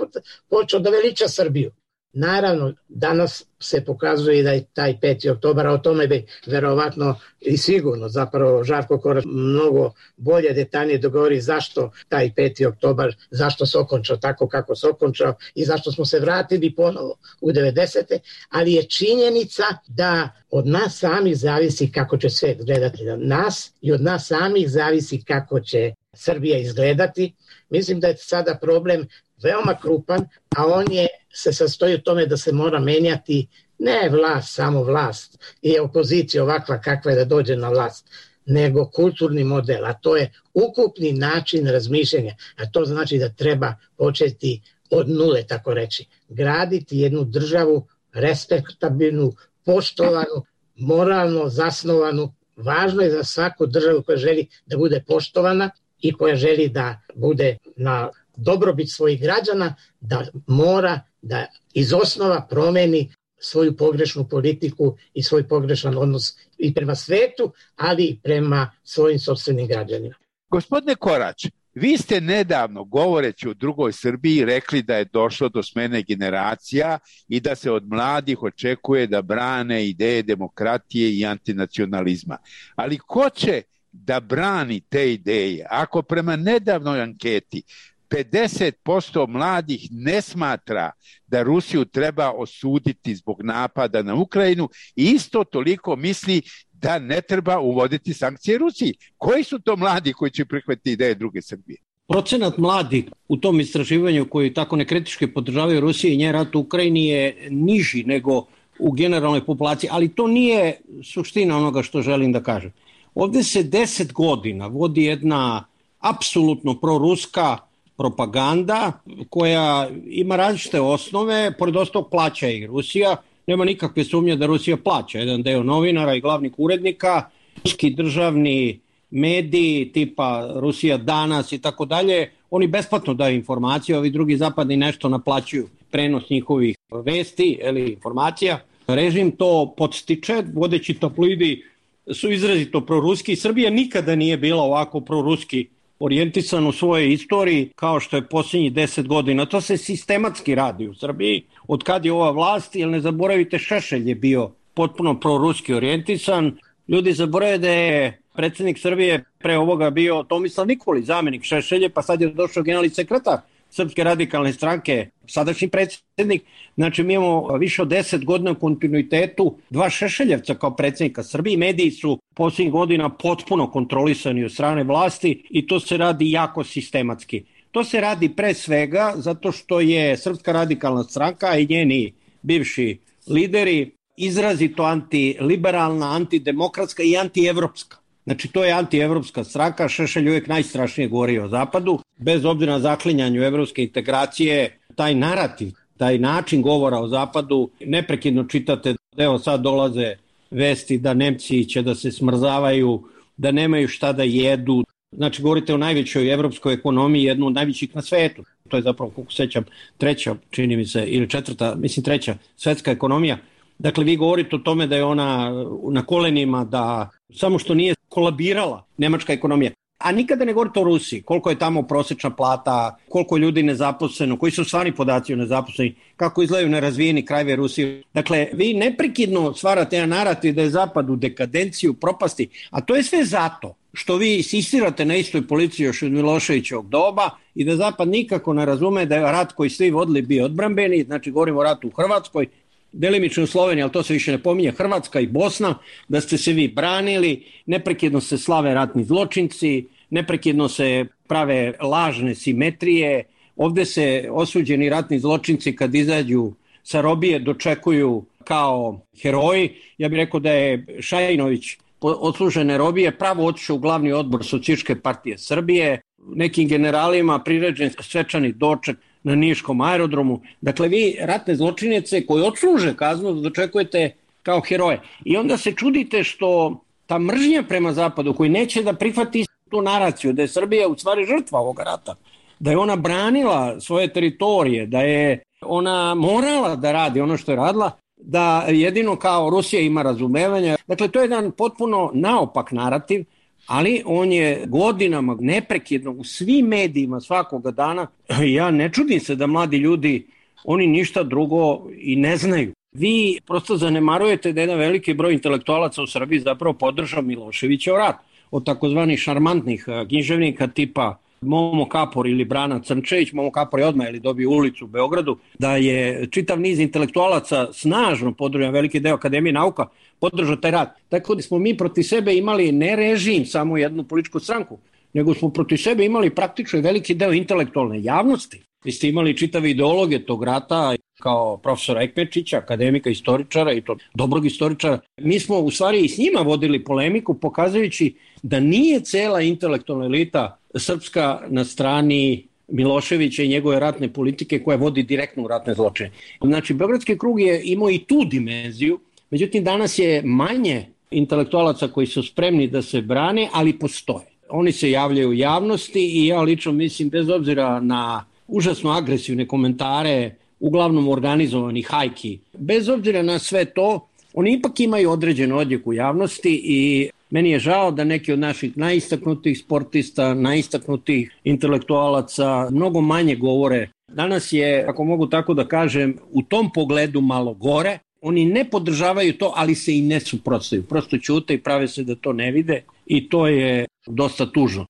počeo da veliča Srbiju. Naravno, danas se pokazuje da je taj peti oktobar, a o tome bi verovatno i sigurno zapravo Žarko Korać mnogo bolje detaljnije dogovori zašto taj peti oktobar, zašto se okončao tako kako se okončao i zašto smo se vratili ponovo u devedesete, ali je činjenica da od nas samih zavisi kako će svet gledati na nas i od nas samih zavisi kako će Srbija izgledati. Mislim da je sada problem veoma krupan, a on je se sastoji u tome da se mora menjati ne vlast, samo vlast i opozicija ovakva kakva je da dođe na vlast, nego kulturni model, a to je ukupni način razmišljanja, a to znači da treba početi od nule, tako reći, graditi jednu državu respektabilnu, poštovanu, moralno zasnovanu. Važno je za svaku državu koja želi da bude poštovana i koja želi da bude na dobrobit svojih građana, da mora da iz osnova promeni svoju pogrešnu politiku i svoj pogrešan odnos i prema svetu, ali i prema svojim sopstvenim građanima. Gospodine Korać, vi ste nedavno, govoreći o drugoj Srbiji, rekli da je došlo do smene generacija i da se od mladih očekuje da brane ideje demokratije i antinacionalizma. Ali ko će da brani te ideje ako prema nedavnoj anketi pedeset posto mladih ne smatra da Rusiju treba osuditi zbog napada na Ukrajinu i isto toliko misli da ne treba uvoditi sankcije Rusiji? Koji su to mladi koji će prihvatiti ideje druge Srbije? Procenat mladih u tom istraživanju koji tako nekritički podržavaju Rusiju i njen rat u Ukrajini je niži nego u generalnoj populaciji, ali to nije suština onoga što želim da kažem. Ovde se deset godina vodi jedna apsolutno proruska propaganda koja ima različite osnove, pored ostalog plaća i Rusija. Nema nikakve sumnje da Rusija plaća jedan deo novinara i glavnih urednika, ruski državni mediji tipa Rusija danas i tako dalje, oni besplatno daju informacije, ovi drugi zapadni nešto naplaćuju prenos njihovih vesti ili informacija. Režim to podstiče, vodeći tabloidi su izrazito proruski. Srbija nikada nije bila ovako proruski orijentisan u svojoj istoriji kao što je posljednjih deset godina. To se sistematski radi u Srbiji. Od kad je ova vlast, jer ne zaboravite, Šešelj je bio potpuno proruski orijentisan. Ljudi zaboravaju da je predsjednik Srbije pre ovoga bio Tomislav Nikolić, zamjenik Šešelje, pa sad je došao generalni sekretar Srpske radikalne stranke, sadašnji predsjednik. Znači mi imamo više od deset godina u kontinuitetu dva Šešeljevca kao predsjednika Srbije. Mediji su posljednjih godina potpuno kontrolisani od strane vlasti i to se radi jako sistematski. To se radi pre svega zato što je Srpska radikalna stranka i njeni bivši lideri izrazito antiliberalna, antidemokratska i antievropska. Znači to je antievropska stranka, Šešelj uvijek najstrašnije govori o Zapadu, bez obzira na zaklinjanju evropske integracije, taj narativ, taj način govora o Zapadu, neprekidno čitate, evo sad dolaze vesti da Nemci će da se smrzavaju, da nemaju šta da jedu. Znači govorite o najvećoj evropskoj ekonomiji, jednu od najvećih na svetu. To je zapravo, kako sećam, treća, čini mi se, ili četvrta, mislim treća svetska ekonomija. Dakle, vi govorite o tome da je ona na kolenima, da samo što nije kolabirala nemačka ekonomija. A nikada ne govorite o Rusiji, koliko je tamo prosječna plata, koliko je ljudi nezaposleno, koji su stvarni podaci o nezaposleni, kako izgledaju nerazvijeni krajevi Rusije. Dakle, vi neprekidno stvarate jedan narativ da je Zapad u dekadenciju, propasti, a to je sve zato što vi insistirate na istoj policiji još od Miloševićevog doba i da Zapad nikako ne razume da je rat koji svi vodili bio odbrambeni, znači govorimo o ratu u Hrvatskoj, delimično u Sloveniji, ali to se više ne pominje, Hrvatska i Bosna, da ste se vi branili, neprekidno se slave ratni zločinci, neprekidno se prave lažne simetrije, ovde se osuđeni ratni zločinci kad izađu sa robije dočekuju kao heroji. Ja bih rekao da je Šajinović odslužene robije pravo otišao u glavni odbor Socijalističke partije Srbije, nekim generalima priređen svečani doček na Niškom aerodromu. Dakle, vi ratne zločinjece koji odsluže kaznu dočekujete kao heroje. I onda se čudite što ta mržnja prema Zapadu koji neće da prihvati tu naraciju da je Srbija u stvari žrtva ovoga rata, da je ona branila svoje teritorije, da je ona morala da radi ono što je radila, da jedino kao Rusija ima razumevanja. Dakle, to je jedan potpuno naopak narativ, ali on je godinama neprekidno u svim medijima svakoga dana. Ja ne čudim se da mladi ljudi, oni ništa drugo i ne znaju. Vi prosto zanemarujete da jedan veliki broj intelektualaca u Srbiji zapravo podržao Miloševićev rat. Od takozvanih šarmantnih književnika tipa Momo Kapor ili Brana Crnčević, Momo Kapor je odmah ili dobio ulicu u Beogradu, da je čitav niz intelektualaca snažno podržao, veliki deo Akademije nauka podržao taj rat. Tako da smo mi proti sebe imali ne režim, samo jednu političku stranku, nego smo protiv sebe imali praktično i veliki deo intelektualne javnosti. Vi ste imali čitave ideologije tog rata, kao profesora Ekmečića, akademika, istoričara i to dobrog istoričara. Mi smo u stvari i s njima vodili polemiku, pokazujući da nije cela intelektualna elita srpska na strani Miloševića i njegove ratne politike koja vodi direktno u ratne zločine. Znači, Beogradski krug je imao i tu dimenziju, međutim danas je manje intelektualaca koji su spremni da se brane, ali postoje. Oni se javljaju u javnosti i ja lično mislim, bez obzira na užasno agresivne komentare, uglavnom organizovanih hajki, bez obzira na sve to, oni ipak imaju određen odjek u javnosti i meni je žao da neki od naših najistaknutih sportista, najistaknutih intelektualaca mnogo manje govore. Danas je, ako mogu tako da kažem, u tom pogledu malo gore. Oni ne podržavaju to, ali se i ne suprotstavljaju. Prosto ćute i prave se da to ne vide i to je dosta tužno.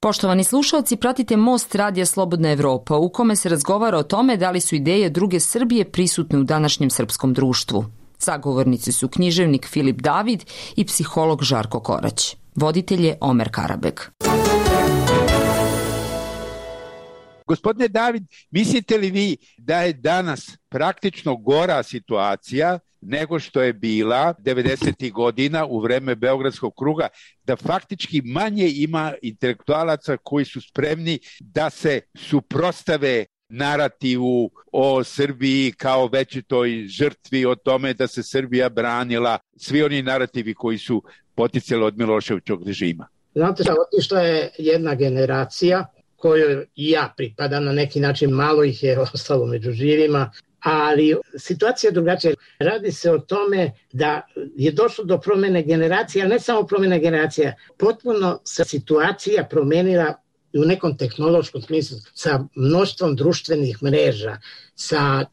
Poštovani slušalci, pratite Most Radija Slobodna Evropa, u kome se razgovara o tome da li su ideje druge Srbije prisutne u današnjem srpskom društvu. Sagovornici su književnik Filip David i psiholog Žarko Korać. Voditelj je Omer Karabek. Gospodine David, mislite li vi da je danas praktično gora situacija nego što je bila devedesetih godina u vreme Beogradskog kruga, da faktički manje ima intelektualaca koji su spremni da se suprotstave narativu o Srbiji kao većitoj žrtvi, o tome da se Srbija branila, svi oni narativi koji su poticali od Miloševićevog režima? Znate šta, otišla je jedna generacija kojoj i ja pripadam, na neki način malo ih je ostalo među živima, ali situacija je drugačija. Radi se o tome da je došlo do promene generacija, ali ne samo promene generacija, potpuno se situacija promenila u nekom tehnološkom smislu, sa mnoštvom društvenih mreža, sa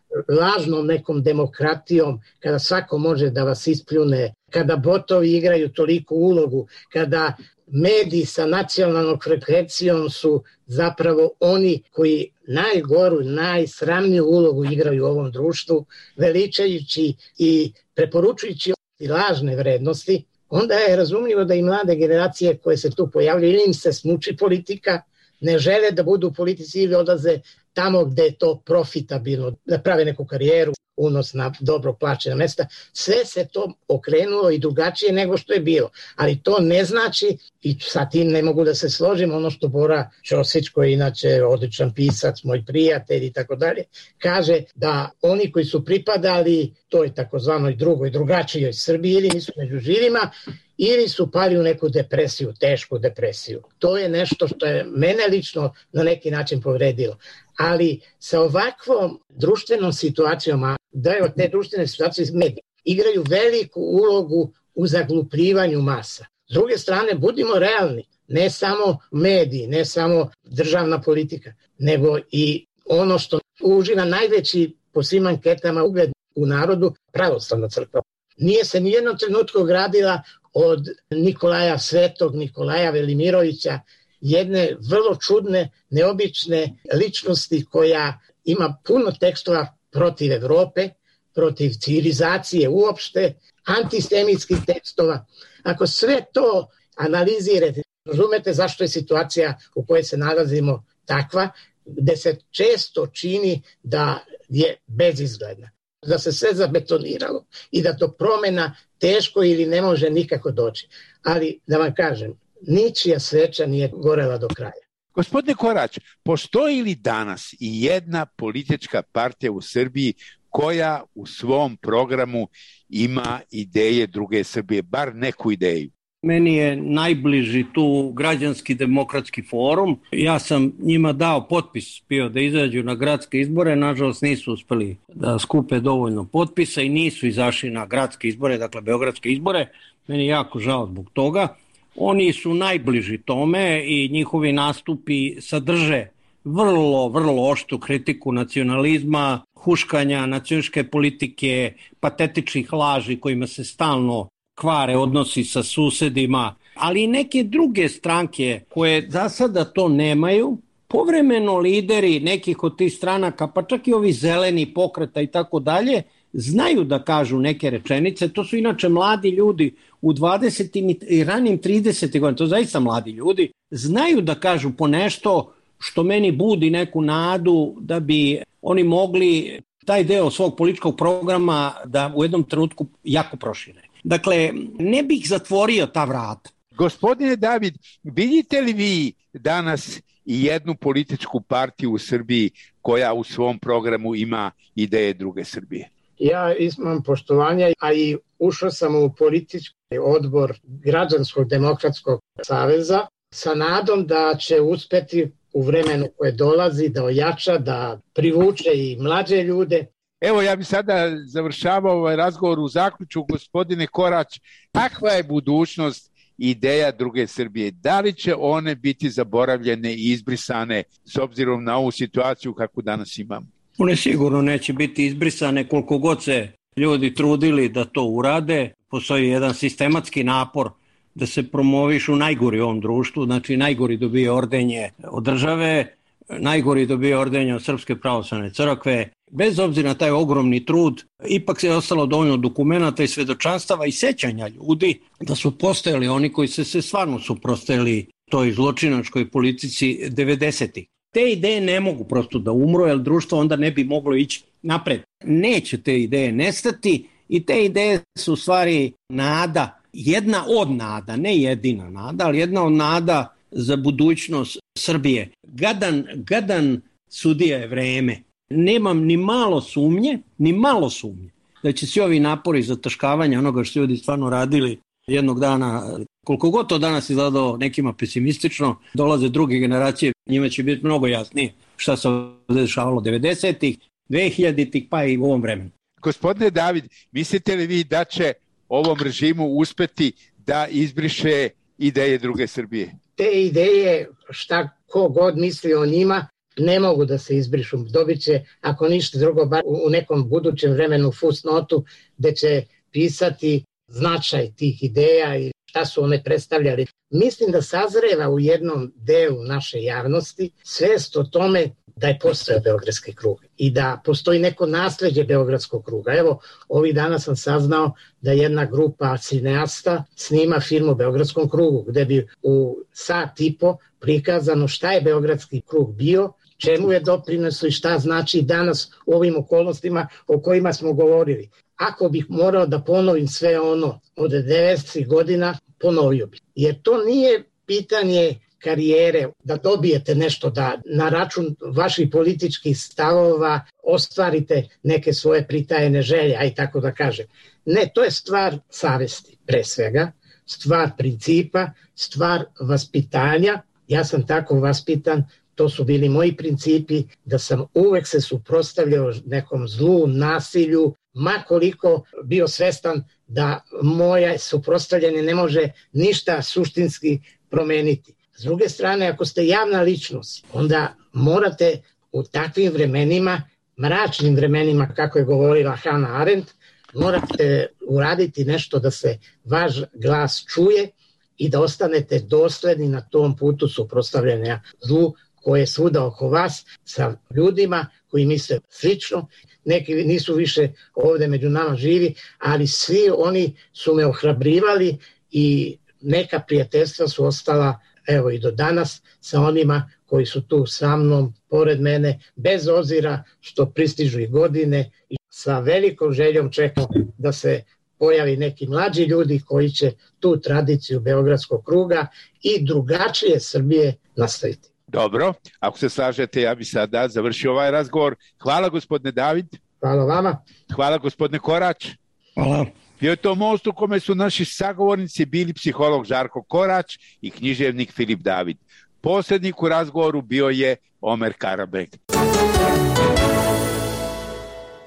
lažnom nekom demokratijom, kada svako može da vas ispljune, kada botovi igraju toliku ulogu, kada mediji sa nacionalnom frekvencijom su zapravo oni koji najgoru, najsramniju ulogu igraju u ovom društvu, veličajući i preporučujući lažne vrednosti, onda je razumljivo da i mlade generacije koje se tu pojavljaju, ili im se smuči politika, ne žele da budu u politici ili odlaze tamo gde je to profitabilno, da prave neku karijeru, unos na dobro plaćena mesta. Sve se to okrenulo i drugačije nego što je bilo. Ali to ne znači, i sa tim ne mogu da se složim, ono što Bora Ćosić, koji je inače odličan pisac, moj prijatelj i tako dalje, kaže da oni koji su pripadali toj takozvanoj drugoj, drugačijoj Srbiji ili nisu među živima, ili su pali u neku depresiju, tešku depresiju. To je nešto što je mene lično na neki način povredilo. Ali sa ovakvom društvenom situacijom, a da je od te društvene situacije mediji igraju veliku ulogu u zaglupljivanju masa. S druge strane, budimo realni, ne samo mediji, ne samo državna politika, nego i ono što uživa najveći po svim anketama ugled u narodu, pravoslavna crkva. Nije se nijednom trenutku ogradila od Nikolaja Svetog, Nikolaja Velimirovića, jedne vrlo čudne, neobične ličnosti koja ima puno tekstova protiv Evrope, protiv civilizacije uopšte, antisemitskih tekstova. Ako sve to analizirate, razumete zašto je situacija u kojoj se nalazimo takva, gde se često čini da je bezizgledna, da se sve zabetoniralo i da to promena teško ili ne može nikako doći. Ali da vam kažem, ničija sveča nije gorela do kraja. Gospodine Korać, postoji li danas i jedna politička partija u Srbiji koja u svom programu ima ideje druge Srbije, bar neku ideju? Meni je najbliži tu Građanski demokratski forum. Ja sam njima dao potpis bio da izađu na gradske izbore, nažalost nisu uspeli da skupe dovoljno potpisa i nisu izašli na gradske izbore, dakle beogradske izbore. Meni je jako žao zbog toga. Oni su najbliži tome i njihovi nastupi sadrže vrlo, vrlo oštru kritiku nacionalizma, huškanja nacionalističke politike, patetičnih laži kojima se stalno kvare odnosi sa susedima, ali i neke druge stranke koje za sada to nemaju, povremeno lideri nekih od tih stranaka, pa čak i ovi zeleni pokreta i tako dalje, znaju da kažu neke rečenice, to su inače mladi ljudi u dvadesetim i ranim tridesetim godinama, to zaista mladi ljudi, znaju da kažu po nešto što meni budi neku nadu da bi oni mogli taj deo svog političkog programa da u jednom trenutku jako prošire. Dakle, ne bih zatvorio ta vrata. Gospodine David, vidite li vi danas i jednu političku partiju u Srbiji koja u svom programu ima ideje druge Srbije? Ja imam poštovanja, a i ušao sam u politički odbor Građanskog demokratskog saveza sa nadom da će uspeti u vremenu koje dolazi da ojača, da privuče i mlađe ljude. Evo, ja bih sada završavao ovaj razgovor u zaključu. Gospodine Korać, kakva je budućnost ideja druge Srbije? Da li će one biti zaboravljene i izbrisane s obzirom na ovu situaciju kakvu danas imamo? One sigurno neće biti izbrisane koliko god se ljudi trudili da to urade. Postoji jedan sistematski napor da se promovišu najgori u ovom društvu, znači najgori dobije ordenje od države, najgori dobije ordenje od Srpske pravoslavne crkve. Bez obzira na taj ogromni trud, ipak se je ostalo dovoljno dokumenata i svedočanstava i sećanja ljudi da su postojali oni koji se, se stvarno suprotstavili toj zločinačkoj politici devedesetih. Te ideje ne mogu prosto da umru, jer društvo onda ne bi moglo ići napred. Neće te ideje nestati i te ideje su u stvari nada, jedna od nada, ne jedina nada, ali jedna od nada za budućnost Srbije. Gadan, gadan sudija je vreme. Nemam ni malo sumnje, ni malo sumnje da će svi ovi napori zataškavanja onoga što ljudi stvarno radili jednog dana, koliko god to danas izgledalo nekima pesimistično, dolaze druge generacije, njima će biti mnogo jasnije šta se dešavalo devedesetih, dvehiljaditih pa i u ovom vremenu. Gospodine David, mislite li vi da će ovom režimu uspeti da izbriše ideje druge Srbije? Te ideje, šta ko god misli o njima, ne mogu da se izbrišu. Dobit će, ako ništa drugo, bar u nekom budućem vremenu fusnotu gde će pisati značaj tih ideja i šta su one predstavljali. Mislim da sazreva u jednom delu naše javnosti svest o tome da je postojao Beogradski krug i da postoji neko nasleđe Beogradskog kruga. Evo, ovih dana sam saznao da jedna grupa cineasta snima film o Beogradskom krugu, gde bi u sat i po prikazano šta je Beogradski krug bio, čemu je doprineso i šta znači danas u ovim okolnostima o kojima smo govorili. Ako bih morao da ponovim sve ono od devedesetih godina, ponovio bih. Jer to nije pitanje karijere, da dobijete nešto, da na račun vaših političkih stavova ostvarite neke svoje pritajene želje, aj tako da kažem. Ne, to je stvar savesti, pre svega, stvar principa, stvar vaspitanja. Ja sam tako vaspitan, to su bili moji principi, da sam uvek se suprotstavljao nekom zlu, nasilju, ma koliko bio svestan da moje suprotstavljanje ne može ništa suštinski promeniti. S druge strane, ako ste javna ličnost, onda morate u takvim vremenima, mračnim vremenima, kako je govorila Hannah Arendt, morate uraditi nešto da se vaš glas čuje i da ostanete dosledni na tom putu suprotstavljanja zlu koje je svuda oko vas sa ljudima koji misle slično. Neki nisu više ovde među nama živi, ali svi oni su me ohrabrivali i neka prijateljstva su ostala evo i do danas sa onima koji su tu sa mnom, pored mene, bez obzira što pristižu i godine i sa velikom željom čekam da se pojavi neki mlađi ljudi koji će tu tradiciju Beogradskog kruga i drugačije Srbije nastaviti. Dobro, ako se slažete, ja bi sada završio ovaj razgovor. Hvala gospodine David. Hvala vama. Hvala gospodine Korać. Hvala. Bio je to most u kome su naši sagovornici bili psiholog Žarko Korać i književnik Filip David. Posrednik u razgovoru bio je Omer Karabek.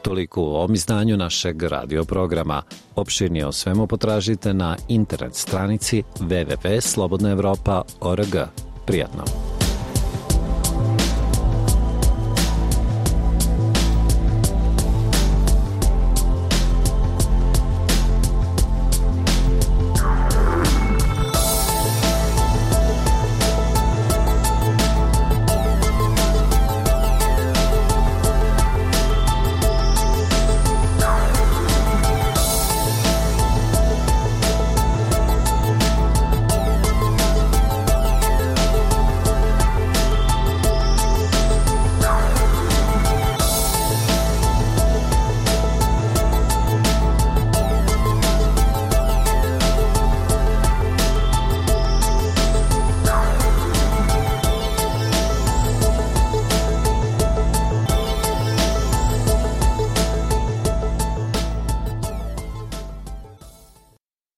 Toliko u ovom izdanju našeg radio programa. Opširnije o svemu potražite na internet stranici w w w tačka slobodna evropa tačka org. Prijatno.